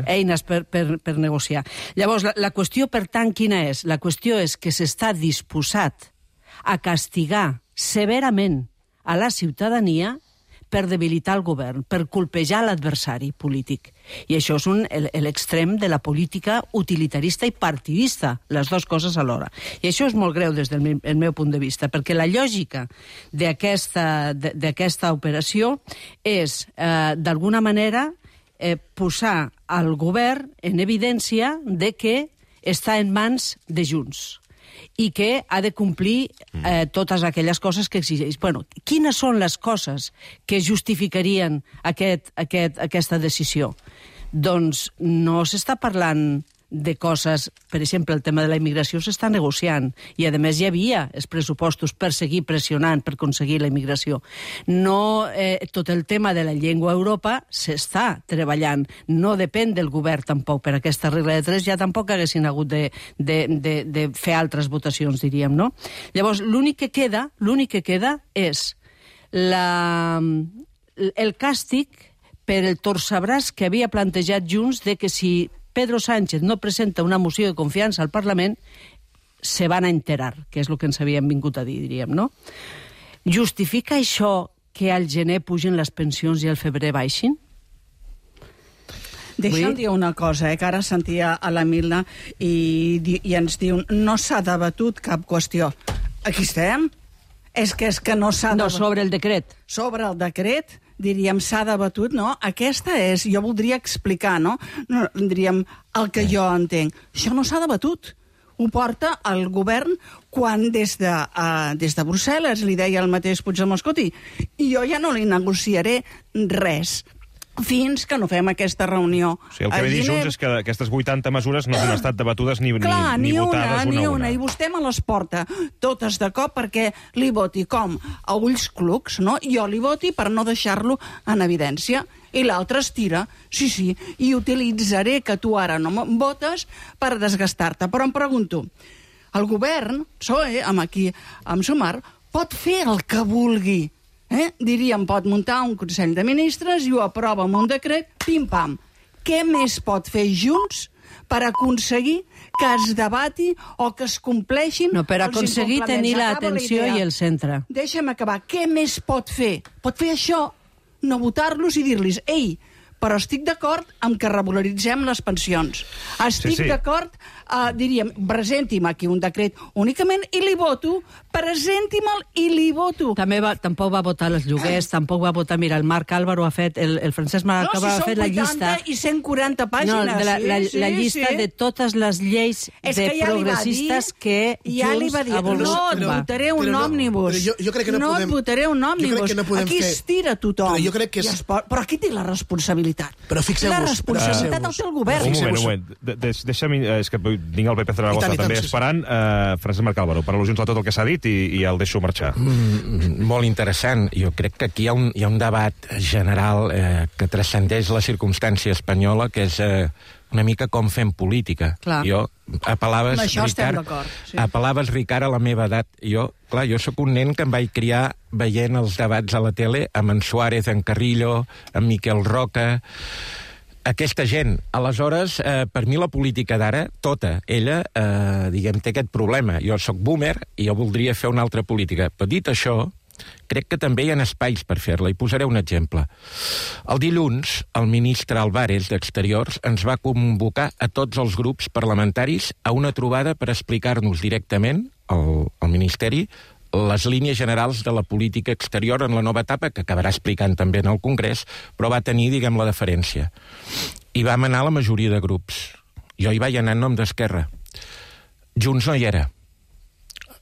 eines per negociar. Llavors, la qüestió, per tant, quina és? La qüestió és que s'està disposat a castigar severament a la ciutadania per debilitar el govern, per colpejar l'adversari polític. I això és l'extrem de la política utilitarista i partidista, les dues coses alhora. I això és molt greu des del meu punt de vista, perquè la lògica d'aquesta operació és, d'alguna manera, posar al govern en evidència de que està en mans de Junts i que ha de complir totes aquelles coses que exigeix. Bueno, quines són les coses que justificarien aquesta decisió? Doncs no s'està parlant de coses, per exemple, el tema de la immigració s'està negociant i, a més, hi havia els pressupostos per seguir pressionant per aconseguir la immigració. No, tot el tema de la llengua a Europa s'està treballant. No depèn del govern, tampoc. Per aquesta regla de 3 ja tampoc haguessin hagut de fer altres votacions, diríem, no? Llavors, l'únic que queda és el càstig per el torçabràs que havia plantejat Junts de que si Pedro Sánchez no presenta una moció de confiança al Parlament, se van a enterar, que és el que ens havíem vingut a dir, diríem, no? Justifica això que al gener pugen les pensions i al febrer baixin? Deixa'm dir una cosa, que ara sentia a la Milna i ens diu no s'ha debatut cap qüestió. Aquí estem? És que no s'ha debatut. No, sobre el decret. Sobre el decret, diríem, s'ha debatut, no? Aquesta és, jo voldria explicar, no? Diríem, el que jo entenc. Això no s'ha debatut. Ho porta el govern quan des de Brussel·les li deia el mateix Puigdemont, escolti, jo ja no li negociaré res. fins que no fem aquesta reunió. O sigui, el que ve dir Junts és que aquestes 80 mesures no han estat debatudes ni votades una a una. I vostè me les porta totes de cop perquè li voti com a ulls clucs, no? Jo li voti per no deixar-lo en evidència. I l'altre es tira, sí, i utilitzaré que tu ara no em votes per desgastar-te. Però em pregunto, el govern, PSOE, amb Sumar, pot fer el que vulgui. Diríem, pot muntar un Consell de Ministres i ho aprova amb un decret, pim-pam. Què més pot fer Junts per aconseguir que es debati o que es compleixin no, per aconseguir tenir l'atenció i el centre. Deixa'm acabar. Què més pot fer? Pot fer això, no votar-los i dir-los, ei, però estic d'acord amb que regularitzem les pensions. Estic d'acord, diríem, presenti'm aquí un decret únicament i li voto, presenti'm-el i li voto. Tampoc va votar els lloguers, tampoc va votar, mira, el Marc Álvaro ha fet, el Francesc Marc Álvaro ha fet la llista. No, si són 80 i 140 pàgines. No, la llista de totes les lleis de progressistes que Junts ha volgut. No et votaré un òmnibus. No et votaré un òmnibus. Aquí es tira tothom. Però aquí té la responsabilitat. Però fixeu-vos. La responsabilitat el té el govern. Un moment. Deixa'm, és que tinc el Pepe Zaragoza també esperant. Francesc Marc Álvaro, per al·lusions a tot el que s'ha dit i el deixo marxar. Molt interessant. Jo crec que aquí hi ha un debat general que transcendeix la circumstància espanyola, que és una mica com fem política. Clar. Jo apel·laves, Ricard, a la meva edat. Jo sóc un nen que em vaig criar veient els debats a la tele amb en Suárez, en Carrillo, en Miquel Roca, aquesta gent. Aleshores, per mi la política d'ara, tota, ella, diguem, té aquest problema. Jo sóc boomer i jo voldria fer una altra política. Però dit això, crec que també hi ha espais per fer-la, i posaré un exemple. El dilluns, el ministre Álvarez d'Exteriors ens va convocar a tots els grups parlamentaris a una trobada per explicar-nos directament, al Ministeri, les línies generals de la política exterior en la nova etapa, que acabarà explicant també en el Congrés, però va tenir, diguem, la deferència. I vam anar a la majoria de grups. Jo hi vaig anar en nom d'Esquerra. Junts no hi era.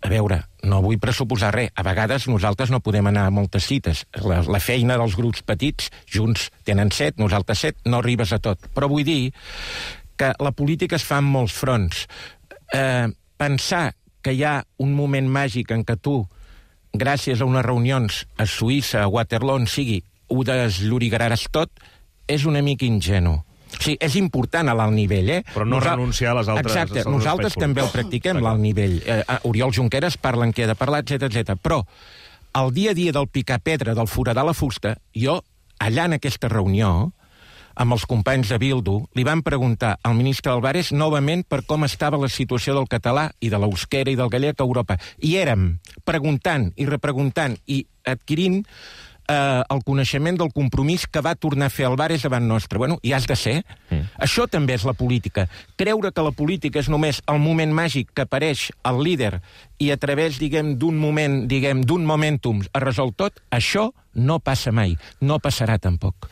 A veure, no vull pressuposar res. A vegades nosaltres no podem anar a moltes cites. La feina dels grups petits, Junts tenen 7, nosaltres 7, no arribes a tot. Però vull dir que la política es fa en molts fronts. Pensar que hi ha un moment màgic en què tu, gràcies a unes reunions a Suïssa, a Waterloo, on sigui, ho desllorigaràs tot, és una mica ingenu. O sigui, és important a l'alt nivell, Però no renunciar a les altres... Exacte, nosaltres també el practiquem, l'alt nivell. Oriol Junqueras parla en què ha de parlar, etc. Però el dia a dia del picar pedra, del foradar la fusta, jo, allà en aquesta reunió, amb els companys de Bildu, li van preguntar al ministre Álvarez novament per com estava la situació del català i de l'euskera i del gallec a Europa. I érem preguntant i repreguntant i adquirint el coneixement del compromís que va tornar a fer Álvarez davant nostre. Bueno, i has de ser. Això també és la política. Creure que la política és només el moment màgic que apareix el líder i a través, d'un moment, d'un momentum es resol tot, això no passa mai. No passarà tampoc.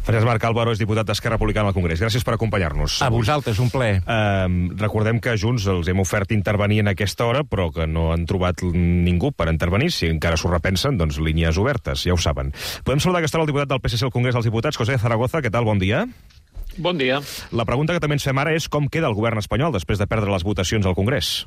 Francesc Marc Álvaro és diputat d'Esquerra Republicana al Congrés. Gràcies per acompanyar-nos. A vosaltres, un plaer. Recordem que Junts els hem ofert intervenir en aquesta hora, però que no han trobat ningú per intervenir. Si encara s'ho repensen, doncs línies obertes, ja ho saben. Podem saludar a aquesta hora el diputat del PSC al Congrés dels Diputats, José Zaragoza. Què tal? Bon dia. Bon dia. La pregunta que també ens fem ara és com queda el govern espanyol després de perdre les votacions al Congrés.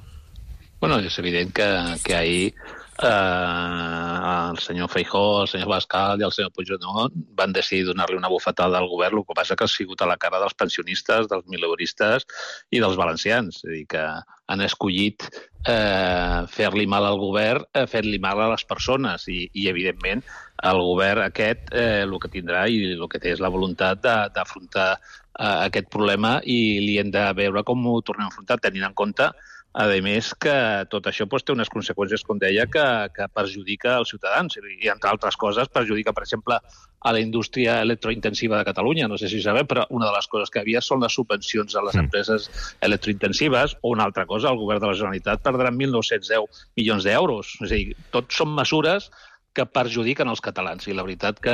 Bueno, és evident que ahir el senyor Feijóo, el senyor Abascal i el senyor Puigdemont van decidir donar-li una bufetada al govern, el que passa que ha sigut a la cara dels pensionistes, dels mileuristes i dels valencians. És a dir, que han escollit fer-li mal al govern, fer-li mal a les persones i evidentment, el govern aquest el que tindrà i el que té és la voluntat d'afrontar aquest problema i li hem de veure com ho tornem a afrontar, tenint en compte a més que tot això té unes conseqüències, com deia, que perjudica els ciutadans i, entre altres coses, perjudica, per exemple, a la indústria electrointensiva de Catalunya. No sé si sabeu, però una de les coses que hi havia són les subvencions a les empreses electrointensives o una altra cosa, el govern de la Generalitat perdrà 1.910 milions d'euros. És a dir, tot són mesures que perjudiquen els catalans. I la veritat que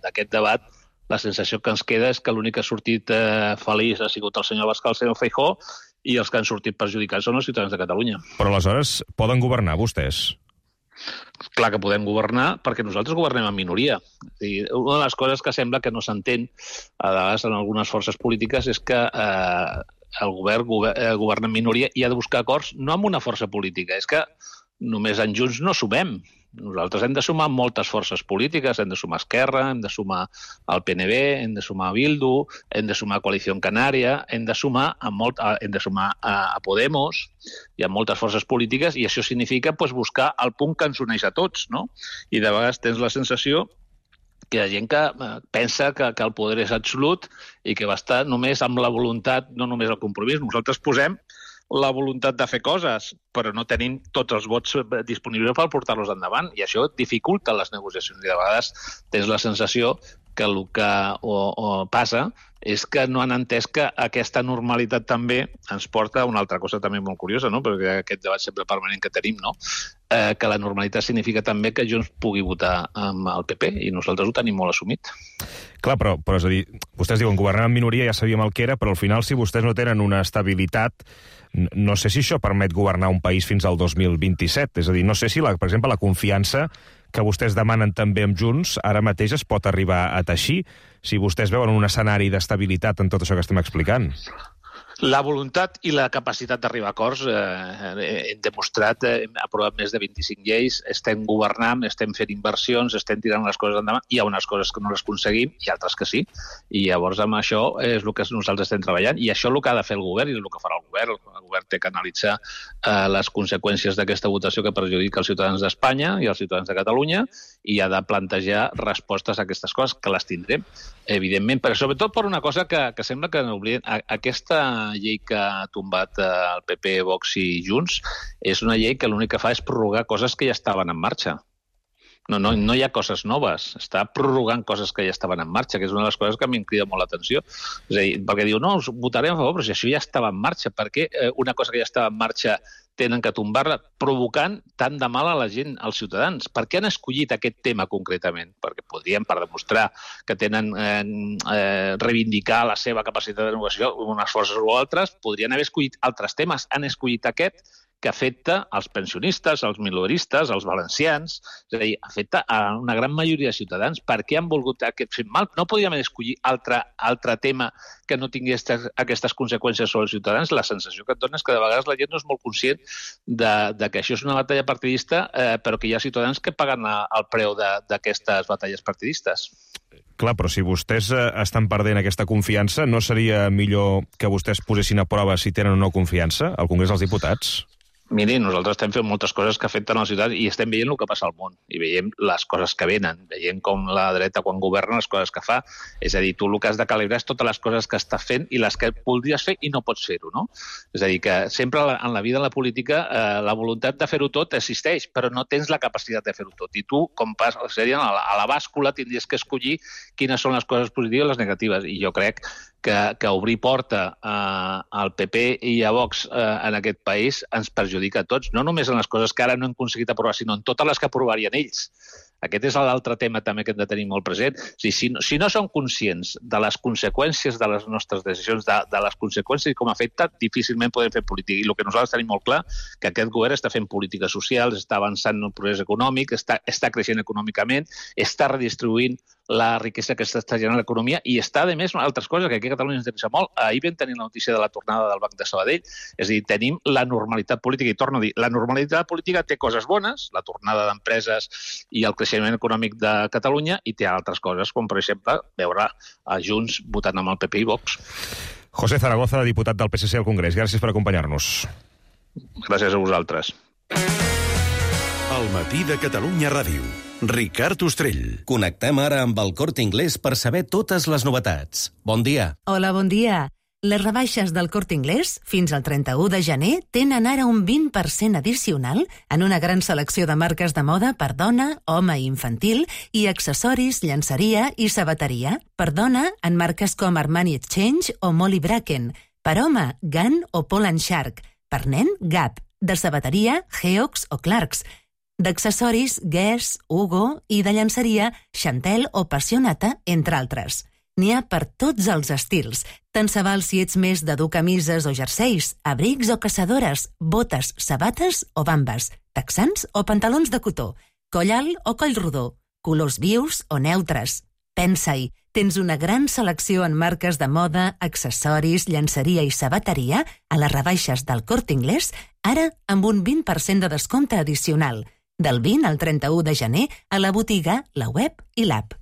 d'aquest debat la sensació que ens queda és que l'únic que ha sortit feliç ha sigut el senyor Abascal, el senyor Feijóo, i els que han sortit perjudicats són els ciutadans de Catalunya. Però aleshores poden governar vostès? Clar que podem governar perquè nosaltres governem en minoria. Una de les coses que sembla que no s'entén a vegades en algunes forces polítiques és que el govern governa en minoria i ha de buscar acords no amb una força política, és que només en Junts no sumem. Nosaltres hem de sumar moltes forces polítiques, hem de sumar Esquerra, hem de sumar el PNB, hem de sumar Bildu, hem de sumar Coalició Canària, hem de sumar a Podemos i a moltes forces polítiques, i això significa buscar el punt que ens uneix a tots, no? I de vegades tens la sensació que hi ha gent que pensa que el poder és absolut i que va estar només amb la voluntat, no només el compromís. Nosaltres posem la voluntat de fer coses, però no tenim tots els vots disponibles per portar-los endavant, i això dificulta les negociacions. I de vegades tens la sensació que el que passa és que no han entès que aquesta normalitat també ens porta a una altra cosa també molt curiosa, no? Perquè aquest debat sempre permanent que tenim, no? Que la normalitat significa també que Junts pugui votar amb el PP, i nosaltres ho tenim molt assumit. Clar, però és a dir, vostès diuen governar en minoria, ja sabíem el que era, però al final, si vostès no tenen una estabilitat, no sé si això permet governar un país fins al 2027. És a dir, no sé si, per exemple, la confiança que vostès demanen també amb Junts ara mateix es pot arribar a teixir, si vostès veuen un escenari d'estabilitat en tot això que estem explicant. La voluntat i la capacitat d'arribar a acords hem demostrat, hem aprovat més de 25 lleis, estem governant, estem fent inversions, estem tirant les coses endavant, hi ha unes coses que no les aconseguim i altres que sí, i llavors amb això és el que nosaltres estem treballant, i això és el que ha de fer el govern i és el que farà el govern. El govern té que analitzar les conseqüències d'aquesta votació que perjudica els ciutadans d'Espanya i els ciutadans de Catalunya, i ha de plantejar respostes a aquestes coses, que les tindrem, evidentment, però sobretot per una cosa que sembla que n'oblidem. Aquesta llei que ha tombat el PP, Vox i Junts és una llei que l'únic que fa és prorrogar coses que ja estaven en marxa. No hi ha coses noves, està prorrogant coses que ja estaven en marxa, que és una de les coses que a mi em crida molt l'atenció. És a dir, perquè diu, no, us votarem a favor, però si això ja estava en marxa, per què una cosa que ja estava en marxa tenen que tombar-la, provocant tant de mal a la gent, als ciutadans? Per què han escollit aquest tema concretament? Perquè podrien, per demostrar que tenen reivindicar la seva capacitat de negociació unes forces o altres, podrien haver escollit altres temes. Han escollit aquest que afecta als pensionistes, als mileuristes, als valencians, és a dir, afecta a una gran majoria de ciutadans. Per què han volgut aquest fet mal? No podíem escollir altre tema que no tingués aquestes conseqüències sobre els ciutadans. La sensació que et dona és que de vegades la gent no és molt conscient de que això és una batalla partidista, però que hi ha ciutadans que paguen el preu d'aquestes batalles partidistes. Clar, però si vostès estan perdent aquesta confiança, no seria millor que vostès posessin a prova si tenen o no confiança al Congrés dels Diputats? Miri, nosaltres estem fent moltes coses que afecten a la ciutat i estem veient el que passa al món i veiem les coses que venen, veiem com la dreta quan governa les coses que fa. És a dir, tu el que has de calibrar és totes les coses que estàs fent i les que voldries fer i no pots fer-ho, no? És a dir, que sempre en la vida, en la política, la voluntat de fer-ho tot existeix, però no tens la capacitat de fer-ho tot. I tu, com passa, a la bàscula tindries que escollir quines són les coses positives i les negatives. I jo crec que obrir porta al PP i a Vox en aquest país ens perjudica a tots, no només en les coses que ara no hem aconseguit aprovar, sinó en totes les que aprovarien ells. Aquest és l'altre tema també que hem de tenir molt present. Si no som conscients de les conseqüències de les nostres decisions, de les conseqüències i com afecta, difícilment podem fer política. I el que nosaltres tenim molt clar, que aquest govern està fent polítiques socials, està avançant en el progrés econòmic, està creixent econòmicament, està redistribuint la riquesa que està generant l'economia i està, a més, altres coses que aquí a Catalunya ens interessa molt. Ahir vam tenir la notícia de la tornada del Banc de Sabadell, és a dir, tenim la normalitat política, i torno a dir, la normalitat política té coses bones, la tornada d'empreses i el creixement econòmic de Catalunya, i té altres coses, com per exemple veure a Junts votant amb el PP i Vox. José Zaragoza, diputat del PSC al Congrés, gràcies per acompanyar-nos. Gràcies a vosaltres. El matí de Catalunya Ràdio. Ricard Ostrell. Connectem ara amb el Corte Inglés per saber totes les novetats. Bon dia. Hola, bon dia. Les rebaixes del Corte Inglés fins al 31 de gener tenen ara un 20% addicional en una gran selecció de marques de moda per dona, home i infantil i accessoris, llenceria i sabateria. Per dona, en marques com Armani Exchange o Molly Bracken. Per home, Gun o Paul & Shark. Per nen, Gap. De sabateria, Geox o Clarks. D'accessoris, Guess, Hugo, i de llenceria, Chantel o Passionata, entre altres. N'hi ha per tots els estils. Tant se val si ets més de dur camises o jerseis, abrics o caçadores, botes, sabates o bambes. texans o pantalons de cotó, coll alt o coll rodó, colors vius o neutres. Pensa-hi, tens una gran selecció en marques de moda, accessoris, llenceria i sabateria a les rebaixes del Corte Inglés, ara amb un 20% de descompte addicional, del 20 al 31 de gener a la botiga, la web i l'app.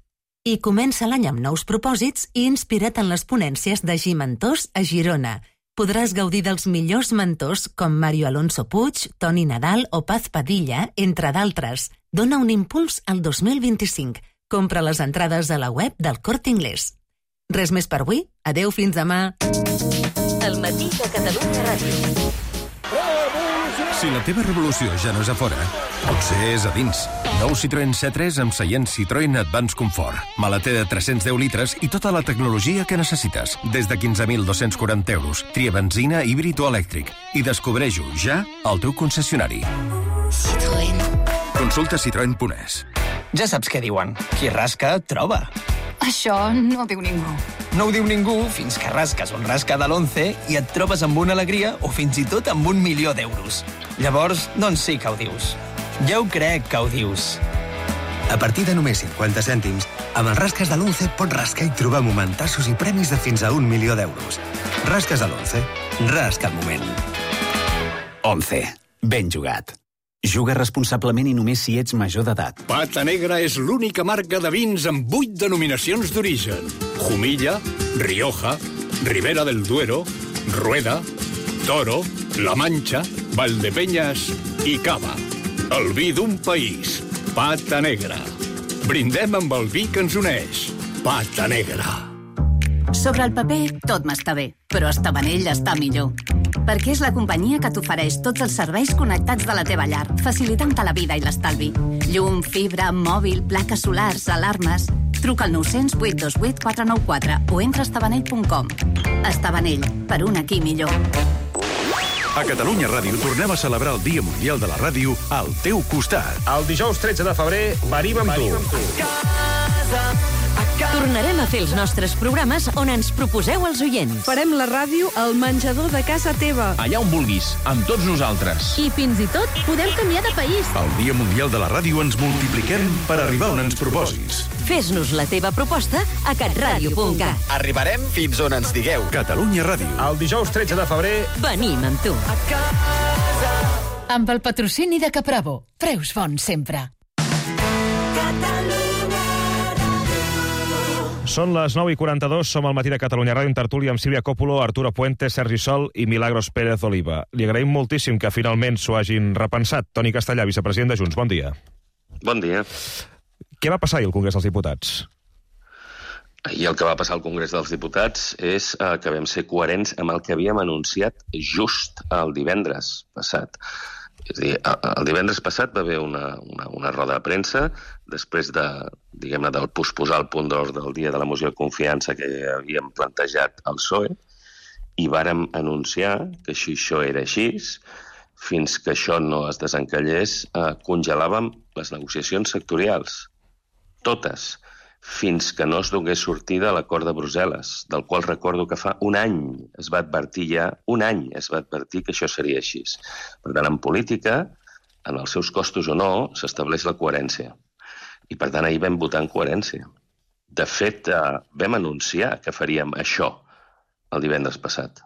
I comença l'any amb nous propòsits i inspira't en les ponències de Gimmentors a Girona. Podràs gaudir dels millors mentors com Mario Alonso Puig, Toni Nadal o Paz Padilla, entre d'altres. Dona un impuls al 2025. Compra les entrades a la web del Corte Inglés. Res més per avui. Adeu, fins demà. El matí de Catalunya Ràdio. Si la teva revolució ja no és a fora, potser és a dins. Nou Citroën C3 amb seient Citroën Advance Comfort. Maleter de 310 litres i tota la tecnologia que necessites. Des de 15.240 euros. Tria benzina, híbrid o elèctric. I descobreix-ho ja al teu concessionari. Citroën. Consulta citroen.es. Ja saps què diuen. Qui rasca, troba. Això no ho diu ningú. No ho diu ningú fins que rasques un rasca de l'11 i et trobes amb una alegria o fins i tot amb 1.000.000 d'euros. Llavors, doncs sí que ho dius. Ja ho crec que ho dius. A partir de només 50 cèntims, amb els rasques de l'11 pots rascar i trobar momentassos i premis de fins a 1.000.000 d'euros. Rasques de l'11. Rasca el moment. 11. Ben jugat. Juga responsablement i només si ets major d'edat. Pata Negra és l'única marca de vins amb 8 denominacions d'origen. Jumilla, Rioja, Ribera del Duero, Rueda, Toro, La Mancha, Valdepeñas i Cava. El vi d'un país. Pata Negra. Brindem amb el vi que ens uneix. Pata Negra. Sobre el paper, tot m'està bé, però Estabanell està millor. Perquè és la companyia que t'ofereix tots els serveis connectats de la teva llar, facilitant-te la vida i l'estalvi. Llum, fibra, mòbil, plaques solars, alarmes... Truca al 900 828 494 o entra a estabanell.com. Estabanell, per un aquí millor. A Catalunya Ràdio tornem a celebrar el Dia Mundial de la Ràdio al teu costat. El dijous 13 de febrer venim amb tu. Tornarem a fer els nostres programes on ens proposeu els oients. Farem la ràdio al menjador de casa teva. Allà on vulguis, amb tots nosaltres. I fins i tot podem canviar de país. El Dia Mundial de la Ràdio ens multipliquem per arribar on ens proposis. Fes-nos la teva proposta a catradio.cat. Arribarem fins on ens digueu. Catalunya Ràdio. El dijous 13 de febrer venim amb tu. Amb el patrocini de Capravo. Preus bons sempre. Són les 9:42, som al matí de Catalunya Ràdio, en tertúlia amb Sílvia Coppola, Arturo Puente, Sergi Sol i Milagros Pérez Oliva. Li agraïm moltíssim que finalment s'ho hagin repensat. Toni Castellà, vicepresident de Junts, bon dia. Bon dia. Què va passar ahir al Congrés dels Diputats? I el que va passar al Congrés dels Diputats és que vam ser coherents amb el que havíem anunciat just el divendres passat. És a dir, el divendres passat va haver una roda de premsa després de, diguem-ne, del posposar el punt d'ordre del dia de la moció de confiança que havíem plantejat al PSOE i vàrem anunciar que si això era així, fins que això no es desencallés, congelàvem les negociacions sectorials. Totes. Fins que no es donés sortida a l'acord de Brussel·les, del qual recordo que fa un any es va advertir que això seria així. Per tant, en política, en els seus costos o no, s'estableix la coherència. I per tant, ahir vam votar en coherència. De fet, vam anunciar que faríem això el divendres passat.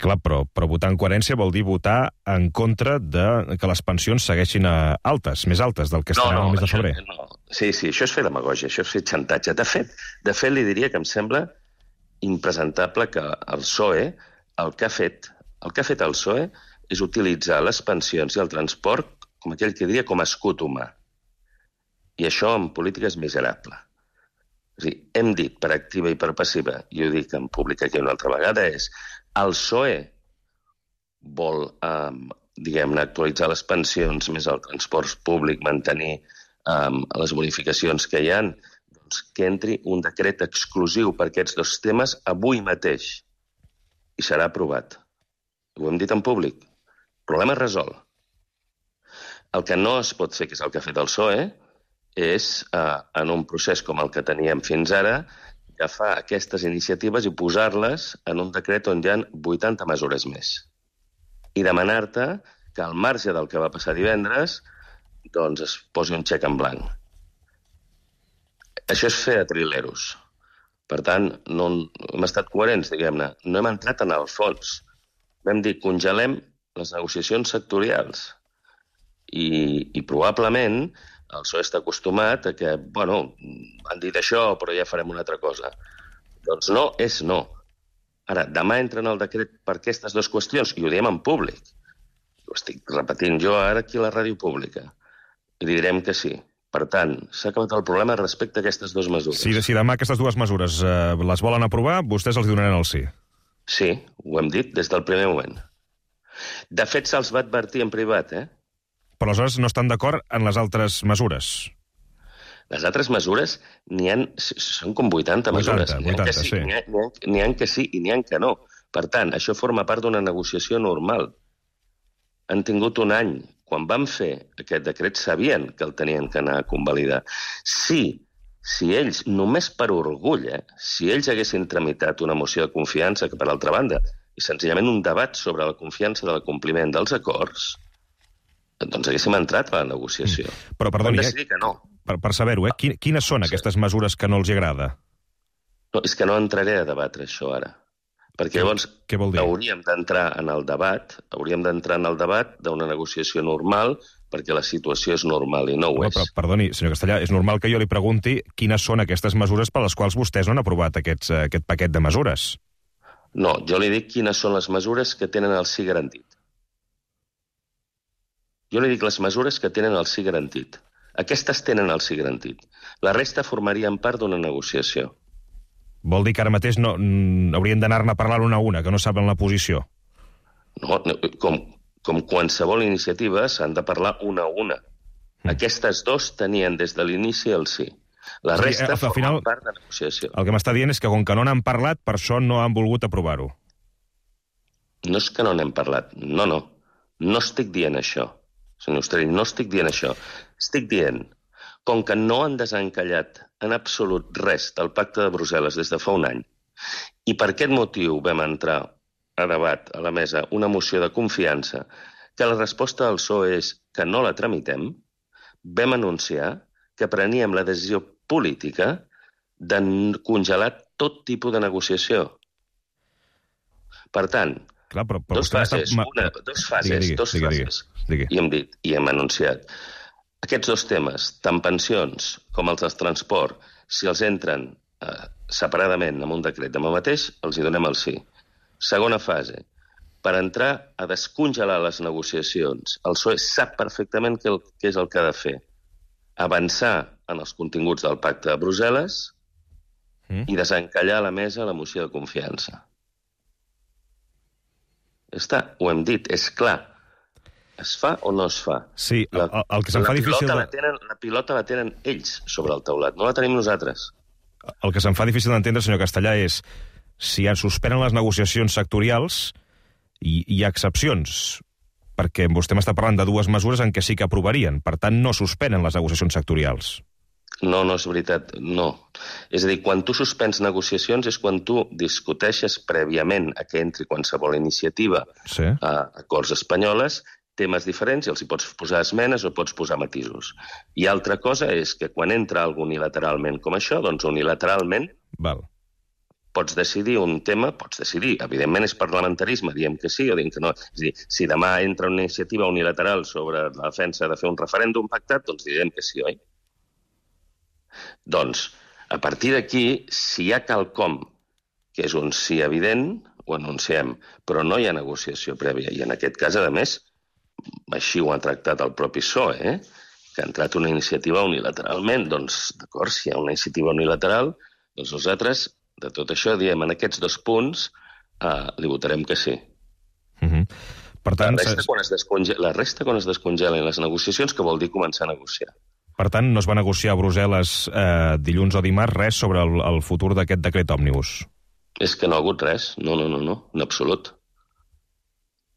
Clar, però votar en coherència vol dir votar en contra de que les pensions segueixin altes, més altes del que estaran al mes de febrer. No. Sí, això és fer demagògia, això és fer xantatge. De fet, li diria que em sembla impresentable que el PSOE, el que ha fet el PSOE és utilitzar les pensions i el transport, com aquell que diria, com a escut humà. I això en política és miserable. És a dir, hem dit per activa i per passiva, i ho dic en públic aquí una altra vegada, és el PSOE vol, diguem-ne, actualitzar les pensions, més el transport públic, mantenir les bonificacions que hi ha, doncs que entri un decret exclusiu per aquests dos temes avui mateix i serà aprovat. Ho hem dit en públic. Problema resolt. El que no es pot fer, que és el que ha fet el PSOE, és, en un procés com el que teníem fins ara, agafar aquestes iniciatives i posar-les en un decret on hi ha 80 mesures més. I demanar-te que al marge del que va passar divendres doncs es posi un xec en blanc. Això és fer a trileros. Per tant, no hem estat coherents, diguem-ne. No hem entrat en el fons. Vam dir, congelem les negociacions sectorials. I probablement el PSOE està acostumat a que, bueno, han dit això, però ja farem una altra cosa. Doncs no és no. Ara, demà entra en el decret per aquestes dues qüestions, i ho diem en públic. Ho estic repetint jo ara aquí a la ràdio pública. I li direm que sí. Per tant, s'ha acabat el problema respecte a aquestes dues mesures. Si demà aquestes dues mesures les volen aprovar, vostès els donaran el sí. Sí, ho hem dit des del primer moment. De fet, se'ls va advertir en privat, Però aleshores no estan d'acord en les altres mesures. Les altres mesures són com 80 mesures. N'hi ha que sí i n'hi ha que no. Per tant, això forma part d'una negociació normal. Han tingut un any. Quan van fer aquest decret sabien que el tenien que anar a convalidar. Si ells, només per orgull, si ells haguessin tramitat una moció de confiança, que per altra banda és senzillament un debat sobre la confiança del compliment dels acords, doncs haguéssim entrat a la negociació. Però, perdoni, van decidir que no. Per saber-ho, quines són aquestes mesures que no els agrada? No, és que no entraré a debatre això ara. Perquè llavors hauríem d'entrar en el debat d'una negociació normal, perquè la situació és normal i no ho és. Però, perdoni, senyor Castellà, és normal que jo li pregunti quines són aquestes mesures per les quals vostès no han aprovat aquest paquet de mesures. No, jo li dic quines són les mesures que tenen el sí garantit. Jo li dic les mesures que tenen el sí garantit. Aquestes tenen el sí garantit. La resta formarien part d'una negociació. Vol dir que ara mateix no haurien d'anar-ne a parlar una a una, que no saben la posició? No, com qualsevol iniciativa s'han de parlar una a una. Aquestes dos tenien des de l'inici el sí. La resta forma part de negociació. El que m'està dient és que com que no n'han parlat, per això no han volgut aprovar-ho. No és que no n'hem parlat, no. No estic dient això, senyor Ostrell, no estic dient això. Estic dient, com que no han desencallat en absolut res del pacte de Brussel·les des de fa un any, i per aquest motiu vam entrar a debat a la mesa una moció de confiança, que la resposta del PSOE és que no la tramitem, vam anunciar que preníem la decisió política de congelar tot tipus de negociació. Per tant, dos fases, i hem dit, i hem anunciat. Aquests dos temes, tant pensions com els del transport, si els entren separadament en un decret demà mateix, els hi donem el sí. Segona fase, per entrar a descongelar les negociacions, el PSOE sap perfectament què és el que ha de fer. Avançar en els continguts del pacte de Brussel·les i desencallar a la mesa la moció de confiança. Ja està, ho hem dit, és clar. Es fa o no es fa? Sí, el que se'm fa difícil... La pilota la tenen ells sobre el taulat, no la tenim nosaltres. El que se'm fa difícil d'entendre, senyor Castellà, és si es suspenen les negociacions sectorials i hi ha excepcions, perquè vostè m'està parlant de dues mesures en què sí que aprovarien. Per tant, no suspenen les negociacions sectorials. No és veritat, no. És a dir, quan tu suspens negociacions és quan tu discuteixes prèviament a que entri qualsevol iniciativa a acords espanyoles, temes diferents, i els hi pots posar esmenes o pots posar matisos. I altra cosa és que quan entra algú unilateralment com això, doncs unilateralment pots decidir un tema, evidentment és parlamentarisme, diem que sí o diem que no. És a dir, si demà entra una iniciativa unilateral sobre la defensa de fer un referèndum pactat, doncs direm que sí, oi? Doncs, a partir d'aquí, si hi ha quelcom que és un sí evident, ho anunciem, però no hi ha negociació prèvia. I en aquest cas, a més, així ho ha tractat el propi PSOE, que ha entrat una iniciativa unilateralment. Doncs, d'acord, si hi ha una iniciativa unilateral, doncs nosaltres, de tot això, diem, en aquests dos punts, li votarem que sí. Per tant, la resta, quan es descongelen les negociacions, que vol dir començar a negociar. Per tant, no es va negociar a Brussel·les dilluns o dimarts res sobre el futur d'aquest decret òmnibus? És que no ha hagut res, no, en absolut.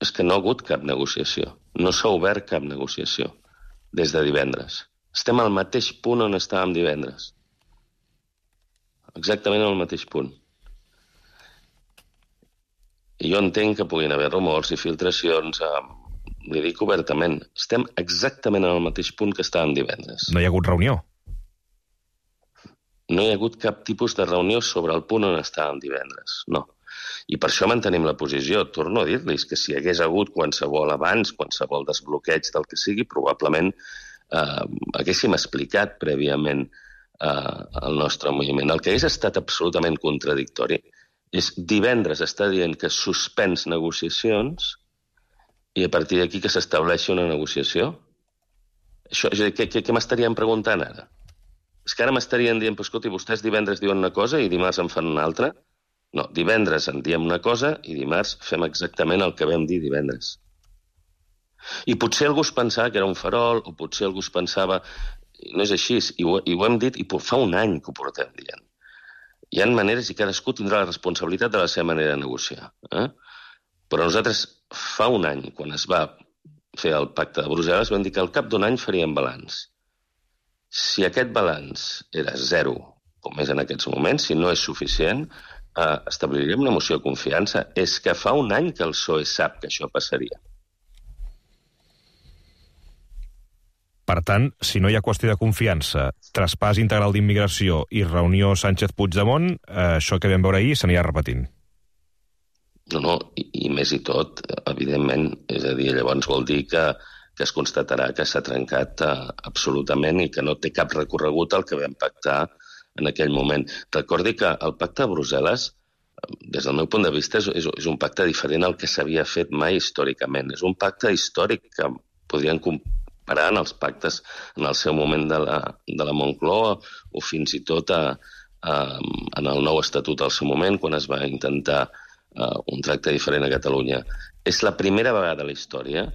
És que no ha hagut cap negociació. No s'ha obert cap negociació des de divendres. Estem al mateix punt on estàvem divendres. Exactament al mateix punt. I jo entenc que puguin haver rumors i filtracions li dic obertament, estem exactament en el mateix punt que estàvem divendres. No hi ha hagut reunió? No hi ha hagut cap tipus de reunió sobre el punt on estàvem divendres, no. I per això mantenim la posició. Torno a dir-los que si hi hagués hagut qualsevol avanç, qualsevol desbloqueig del que sigui, probablement haguéssim explicat prèviament el nostre moviment. El que hagués estat absolutament contradictori és divendres està dient que suspens negociacions i a partir d'aquí que s'estableixi una negociació. Això, és a dir, què m'estarien preguntant ara? És que ara m'estarien dient, escolta, vostès divendres diuen una cosa i dimarts en fan una altra? No, divendres en diem una cosa i dimarts fem exactament el que vam dir divendres. I potser algú es pensava que era un farol, o potser algú es pensava... No és així, i ho hem dit, i fa un any que ho portem dient. Hi ha maneres i cadascú tindrà la responsabilitat de la seva manera de negociar. Però nosaltres fa un any, quan es va fer el pacte de Brussel·les, vam dir que al cap d'un any faríem balanç. Si aquest balanç era 0, com és en aquests moments, si no és suficient, establiríem una moció de confiança. És que fa un any que el PSOE sap que això passaria. Per tant, si no hi ha qüestió de confiança, traspàs integral d'immigració i reunió Sánchez-Puigdemont, això que vam veure ahir s'anirà repetint. No, i més i tot, evidentment, és a dir, llavors vol dir que es constatarà que s'ha trencat absolutament i que no té cap recorregut el que vam pactar en aquell moment. Recordi que el pacte de Brussel·les, des del meu punt de vista, és un pacte diferent al que s'havia fet mai històricament. És un pacte històric que podrien comparar en els pactes en el seu moment de la Moncloa o fins i tot en el nou estatut al seu moment, quan es va intentar un tracte diferent a Catalunya. És la primera vegada a la història,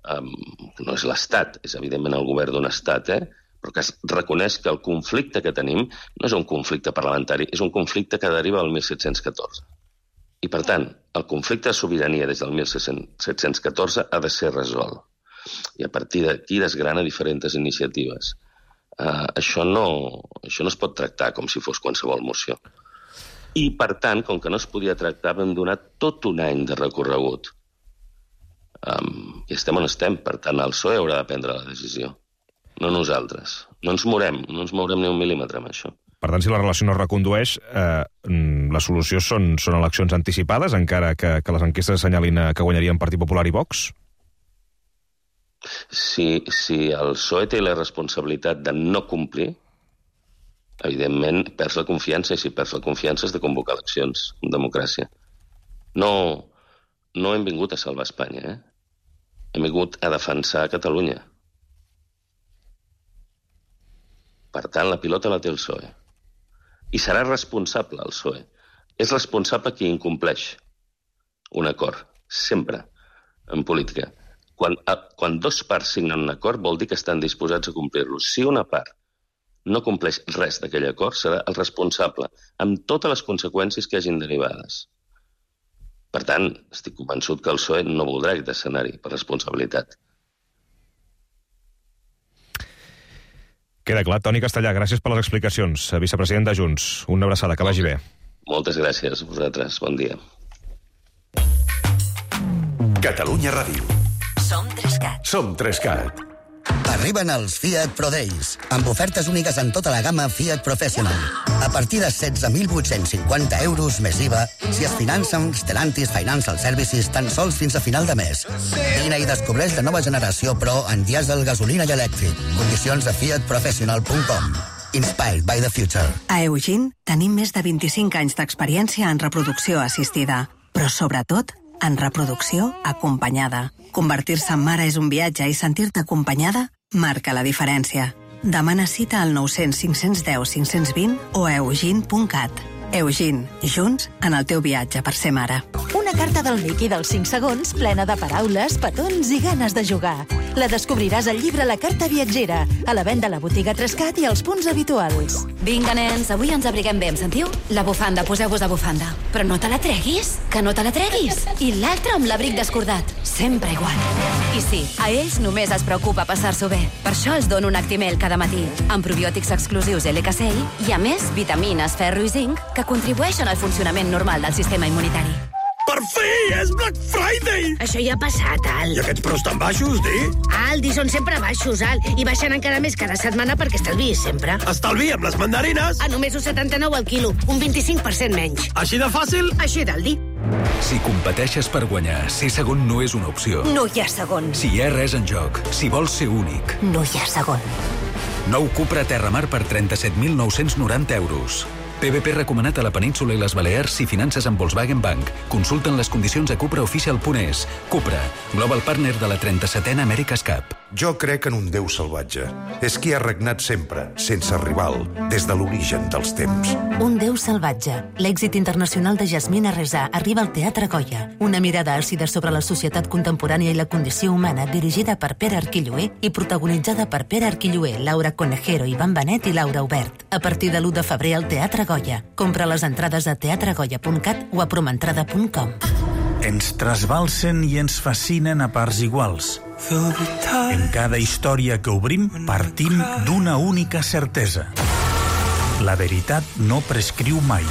no és l'Estat, és evidentment el govern d'un Estat, però que es reconeix que el conflicte que tenim no és un conflicte parlamentari, és un conflicte que deriva del 1714. I, per tant, el conflicte de sobirania des del 1714 ha de ser resolt. I a partir d'aquí desgrana diferents iniciatives. Això no es pot tractar com si fos qualsevol moció. I, per tant, com que no es podia tractar, vam donar tot un any de recorregut. I estem on estem. Per tant, el PSOE haurà de prendre la decisió. No nosaltres. No ens mourem ni un mil·límetre amb això. Per tant, si la relació no es recondueix, la solució són eleccions anticipades, encara que les enquestes assenyalin que guanyarien Partit Popular i Vox? Si el PSOE té la responsabilitat de no complir, evidentment perds la confiança, i si perds la confiança has de convocar eleccions en democràcia. No hem vingut a salvar Espanya, hem vingut a defensar Catalunya. Per tant, la pilota la té el PSOE. I serà responsable el PSOE. És responsable qui incompleix un acord, sempre, en política. Quan dos parts signen un acord vol dir que estan disposats a complir-lo. Si una part no compleix res d'aquell acord, serà el responsable, amb totes les conseqüències que hagin derivades. Per tant, estic convençut que el PSOE no voldrà aquest escenari per responsabilitat. Queda clar. Toni Castellà, gràcies per les explicacions. Vicepresident de Junts, una abraçada, que vagi bé. Moltes gràcies a vosaltres. Bon dia. Catalunya Ràdio. Som 3CAT. Arriben els Fiat Pro Days, amb ofertes úniques en tota la gamma Fiat Professional. A partir de 16.850 euros més IVA, si es finança amb Stellantis Financial Services tan sols fins a final de mes. Vine i descobreix la nova generació Pro en dièsel, gasolina i elèctric. Condicions a fiatprofessional.com. Inspired by the future. A Eugene tenim més de 25 anys d'experiència en reproducció assistida, però sobretot en reproducció acompanyada. Convertir-se en mare és un viatge i sentir-te acompanyada marca la diferència. Demana cita al 900 510 520 o a eugene.cat. Eugene, junts en el teu viatge per ser mare. Una carta del Mickey dels 5 segons plena de paraules, petons i ganes de jugar. La descobriràs al llibre La carta viatgera, a la venda a la botiga 3CAT i als punts habituals. Vinga, nens, avui ens abriguem bé, em sentiu? La bufanda, poseu-vos la bufanda. Però no te la treguis, que no te la treguis. I l'altre amb l'abric descordat, sempre igual. I sí, a ells només es preocupa passar-s'ho bé. Per això els dono un Actimel cada matí, amb probiòtics exclusius LKCI i, a més, vitamines, ferro i zinc que contribueixen al funcionament normal del sistema immunitari. Per fi! És Black Friday! Això ja ha passat, Al. I aquests preus tan baixos, di? Aldi són sempre baixos, Al. I baixen encara més cada setmana perquè estalviïs sempre. Estalvi amb les mandarines! A només 1,79 al quilo, un 25% menys. Així de fàcil? Així d'Aldi. Si competeixes per guanyar, ser segon no és una opció. No hi ha segon. Si hi ha res en joc, si vols ser únic. No hi ha segon. Nou Cupra Terramar per 37.990 euros. PVP recomanat a la península i les Balears si finances amb Volkswagen Bank. Consulten les condicions a cupraofficial.es. Cupra, global partner de la 37a America's Cup. Jo crec en un déu salvatge. És qui ha regnat sempre, sense rival, des de l'origen dels temps. Un déu salvatge. L'èxit internacional de Jasmina Reza arriba al Teatre Goya. Una mirada àcida sobre la societat contemporània i la condició humana, dirigida per Pere Arquilloé i protagonitzada per Pere Arquilloé, Laura Conejero, Ivan Benet i Laura Obert. A partir de l'1 de febrer al Teatre Goya. Compra les entrades a teatregoya.cat o a promentrada.com. Ens trasbalsen i ens fascinen a parts iguals. En cada història que obrim, partim d'una única certesa. La veritat no prescriu mai.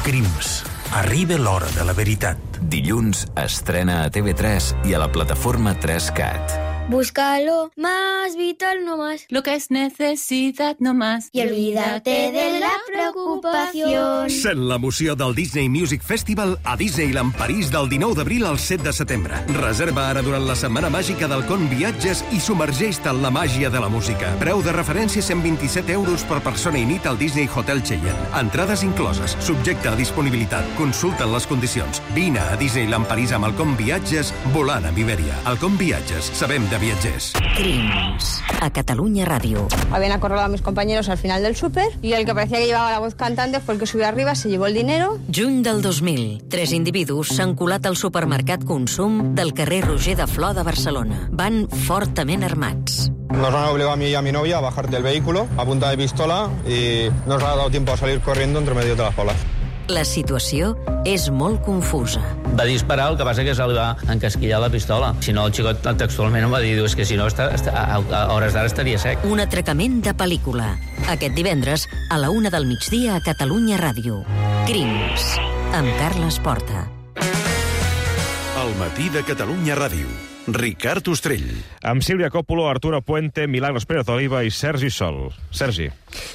Crims. Arriba l'hora de la veritat. Dilluns estrena a TV3 i a la plataforma 3CAT. Búscalo más vital, no más. Lo que es necesidad, no más. Y olvídate de la preocupación. Sent l'emoció del Disney Music Festival a Disneyland París del 19 d'abril al 7 de setembre. Reserva ara durant la setmana màgica del Con Viatges i submergeix-te en la màgia de la música. Preu de referència 127 euros per persona i nit al Disney Hotel Cheyenne. Entrades incloses, subjecte a disponibilitat. Consulta les condicions. Vine a Disneyland París amb el Con Viatges volant amb Iberia. El Con Viatges, sabem de viatgers. Crims. A Catalunya Ràdio. Habían acorralado a mis compañeros al final del súper y el que parecía que llevaba la voz cantante fue el que subió arriba, se llevó el dinero. Juny del 2000. 3 individus s'han colat al supermercat Consum del carrer Roger de Flor de Barcelona. Van fortament armats. Nos han obligado a mí y a mi novia a bajar del vehículo a punta de pistola y nos ha dado tiempo a salir corriendo entre medio de las bolas. La situació és molt confusa. Va disparar, el que passa que se li va encasquillar la pistola. Si no, el xicot textualment em va dir, és que si no, a hores d'ara estaria sec. Un atracament de pel·lícula. Aquest divendres, a la 1 del migdia a Catalunya Ràdio. Crims. Amb Carles Porta. El matí de Catalunya Ràdio. Ricard Ostrell. Amb Sílvia Coppola, Arturo Puente, Milagros Pérez Oliva i Sergi Sol. Sergi.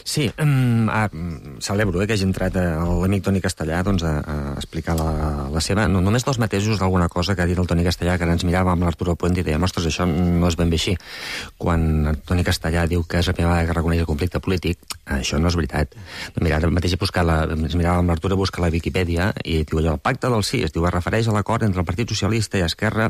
Sí, celebro que hagi entrat l'amic Toni Castellà doncs, a explicar la seva... No, només dos matesos d'alguna cosa que ha dit el Toni Castellà, que ens mirava amb l'Arturo Puente i deia, ostres, això no és ben bé així. Quan el Toni Castellà diu que és la primera vegada que reconeix el conflicte polític, això no és veritat. Mira, ara mateix ens mirava amb l'Arturo, busca la Viquipèdia i diu allò, el pacte del sí, es diu, es refereix a l'acord entre el Partit Socialista i Esquerra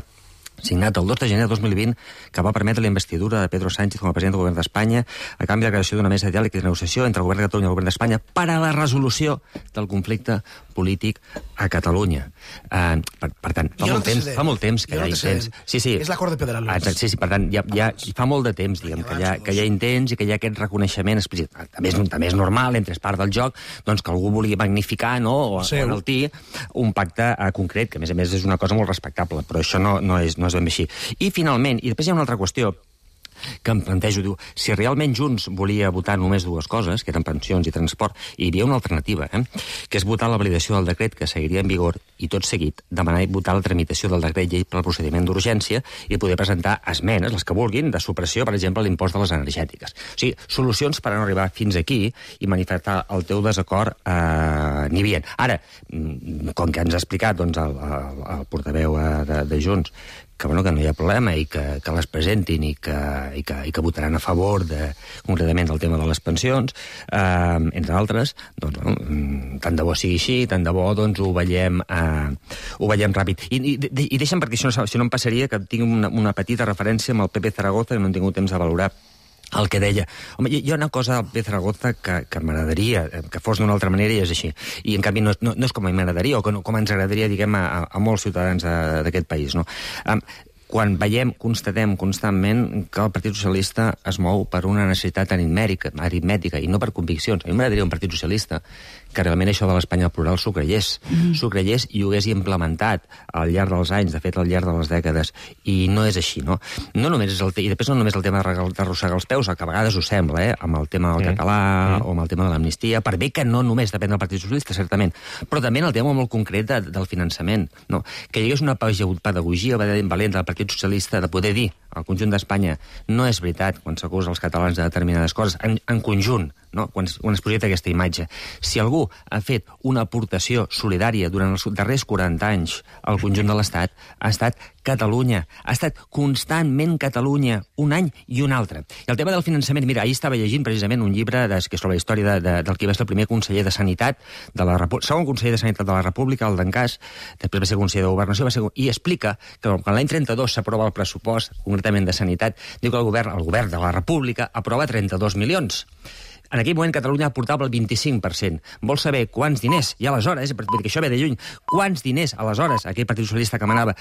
signat el 2 de gener de 2020, que va permetre la investidura de Pedro Sánchez com a president del govern d'Espanya a canvi de la creació d'una mesa de diàleg i de negociació entre el govern de Catalunya i el govern d'Espanya per a la resolució del conflicte polític a Catalunya. Per tant, fa molt temps que hi ha intents. Sí. És l'acord de Pedralbes. Sí, per tant, ja fa molt de temps, diguem, que hi ha intents i que hi ha aquest reconeixement explícit. També és normal, entre és part del joc, doncs que algú vulgui magnificar, no?, o enaltir un pacte concret, que a més és una cosa molt respectable, però això no és ben bé així. I finalment, i després hi ha una altra qüestió que em plantejo, diu, si realment Junts volia votar només dues coses, que eren pensions i transport, hi havia una alternativa, que és votar la validació del decret que seguiria en vigor i tot seguit demanar votar la tramitació del decret llei pel procediment d'urgència i poder presentar esmenes, les que vulguin, de supressió, per exemple, l'impost de les energètiques. O sigui, solucions per a no arribar fins aquí i manifestar el teu desacord n'hi havia. Ara, com que ens ha explicat doncs, el portaveu de Junts, que no hi ha problema i que les presentin i que votaran a favor concretament del tema de les pensions, entre altres, doncs, tant de bo sigui així, tant de bo doncs, ho veiem ràpid. I deixa'm, perquè si no em passaria, que tinc una petita referència amb el Pepe Zaragoza, que no hem tingut temps de valorar el que deia. Home, hi ha una cosa al Pepe Zaragoza que m'agradaria que fos d'una altra manera i és així. I, en canvi, no és com a mi m'agradaria o com ens agradaria, diguem, a molts ciutadans d'aquest país, no? Quan constatem constantment que el Partit Socialista es mou per una necessitat aritmètica i no per conviccions. A mi m'agradaria un Partit Socialista que realment això de l'Espanya plural s'ho creiés. S'ho creiés i ho hagués implementat al llarg dels anys, de fet, al llarg de les dècades. I no és així, no? No només és i després no només el tema d'arrossegar els peus, el que a vegades ho sembla, amb el tema del català o amb el tema de l'amnistia, per bé que no només depèn del Partit Socialista, certament, però també en el tema molt concret del finançament, no? Que hi hagués una pedagogia valenta del Partit Socialista de poder dir al conjunt d'Espanya no és veritat quan s'acusa els catalans de determinades coses, en conjunt, no? Quan es projecta aquesta imatge. Si algú ha fet una aportació solidària durant els darrers 40 anys al conjunt de l'Estat, ha estat Catalunya. Ha estat constantment Catalunya, un any i un altre. I el tema del finançament, mira, ahir estava llegint precisament un llibre que és sobre la història del que va ser el primer conseller de Sanitat, segon conseller de Sanitat de la República, el d'Encàs, després va ser conseller de Governació, i explica que quan l'any 32 s'aprova el pressupost, concretament de Sanitat, diu que el govern de la República aprova 32 milions. En aquell moment Catalunya aportava el 25%. Vol saber quants diners, i aleshores, perquè això ve de lluny, quants diners aleshores aquell Partit Socialista que manava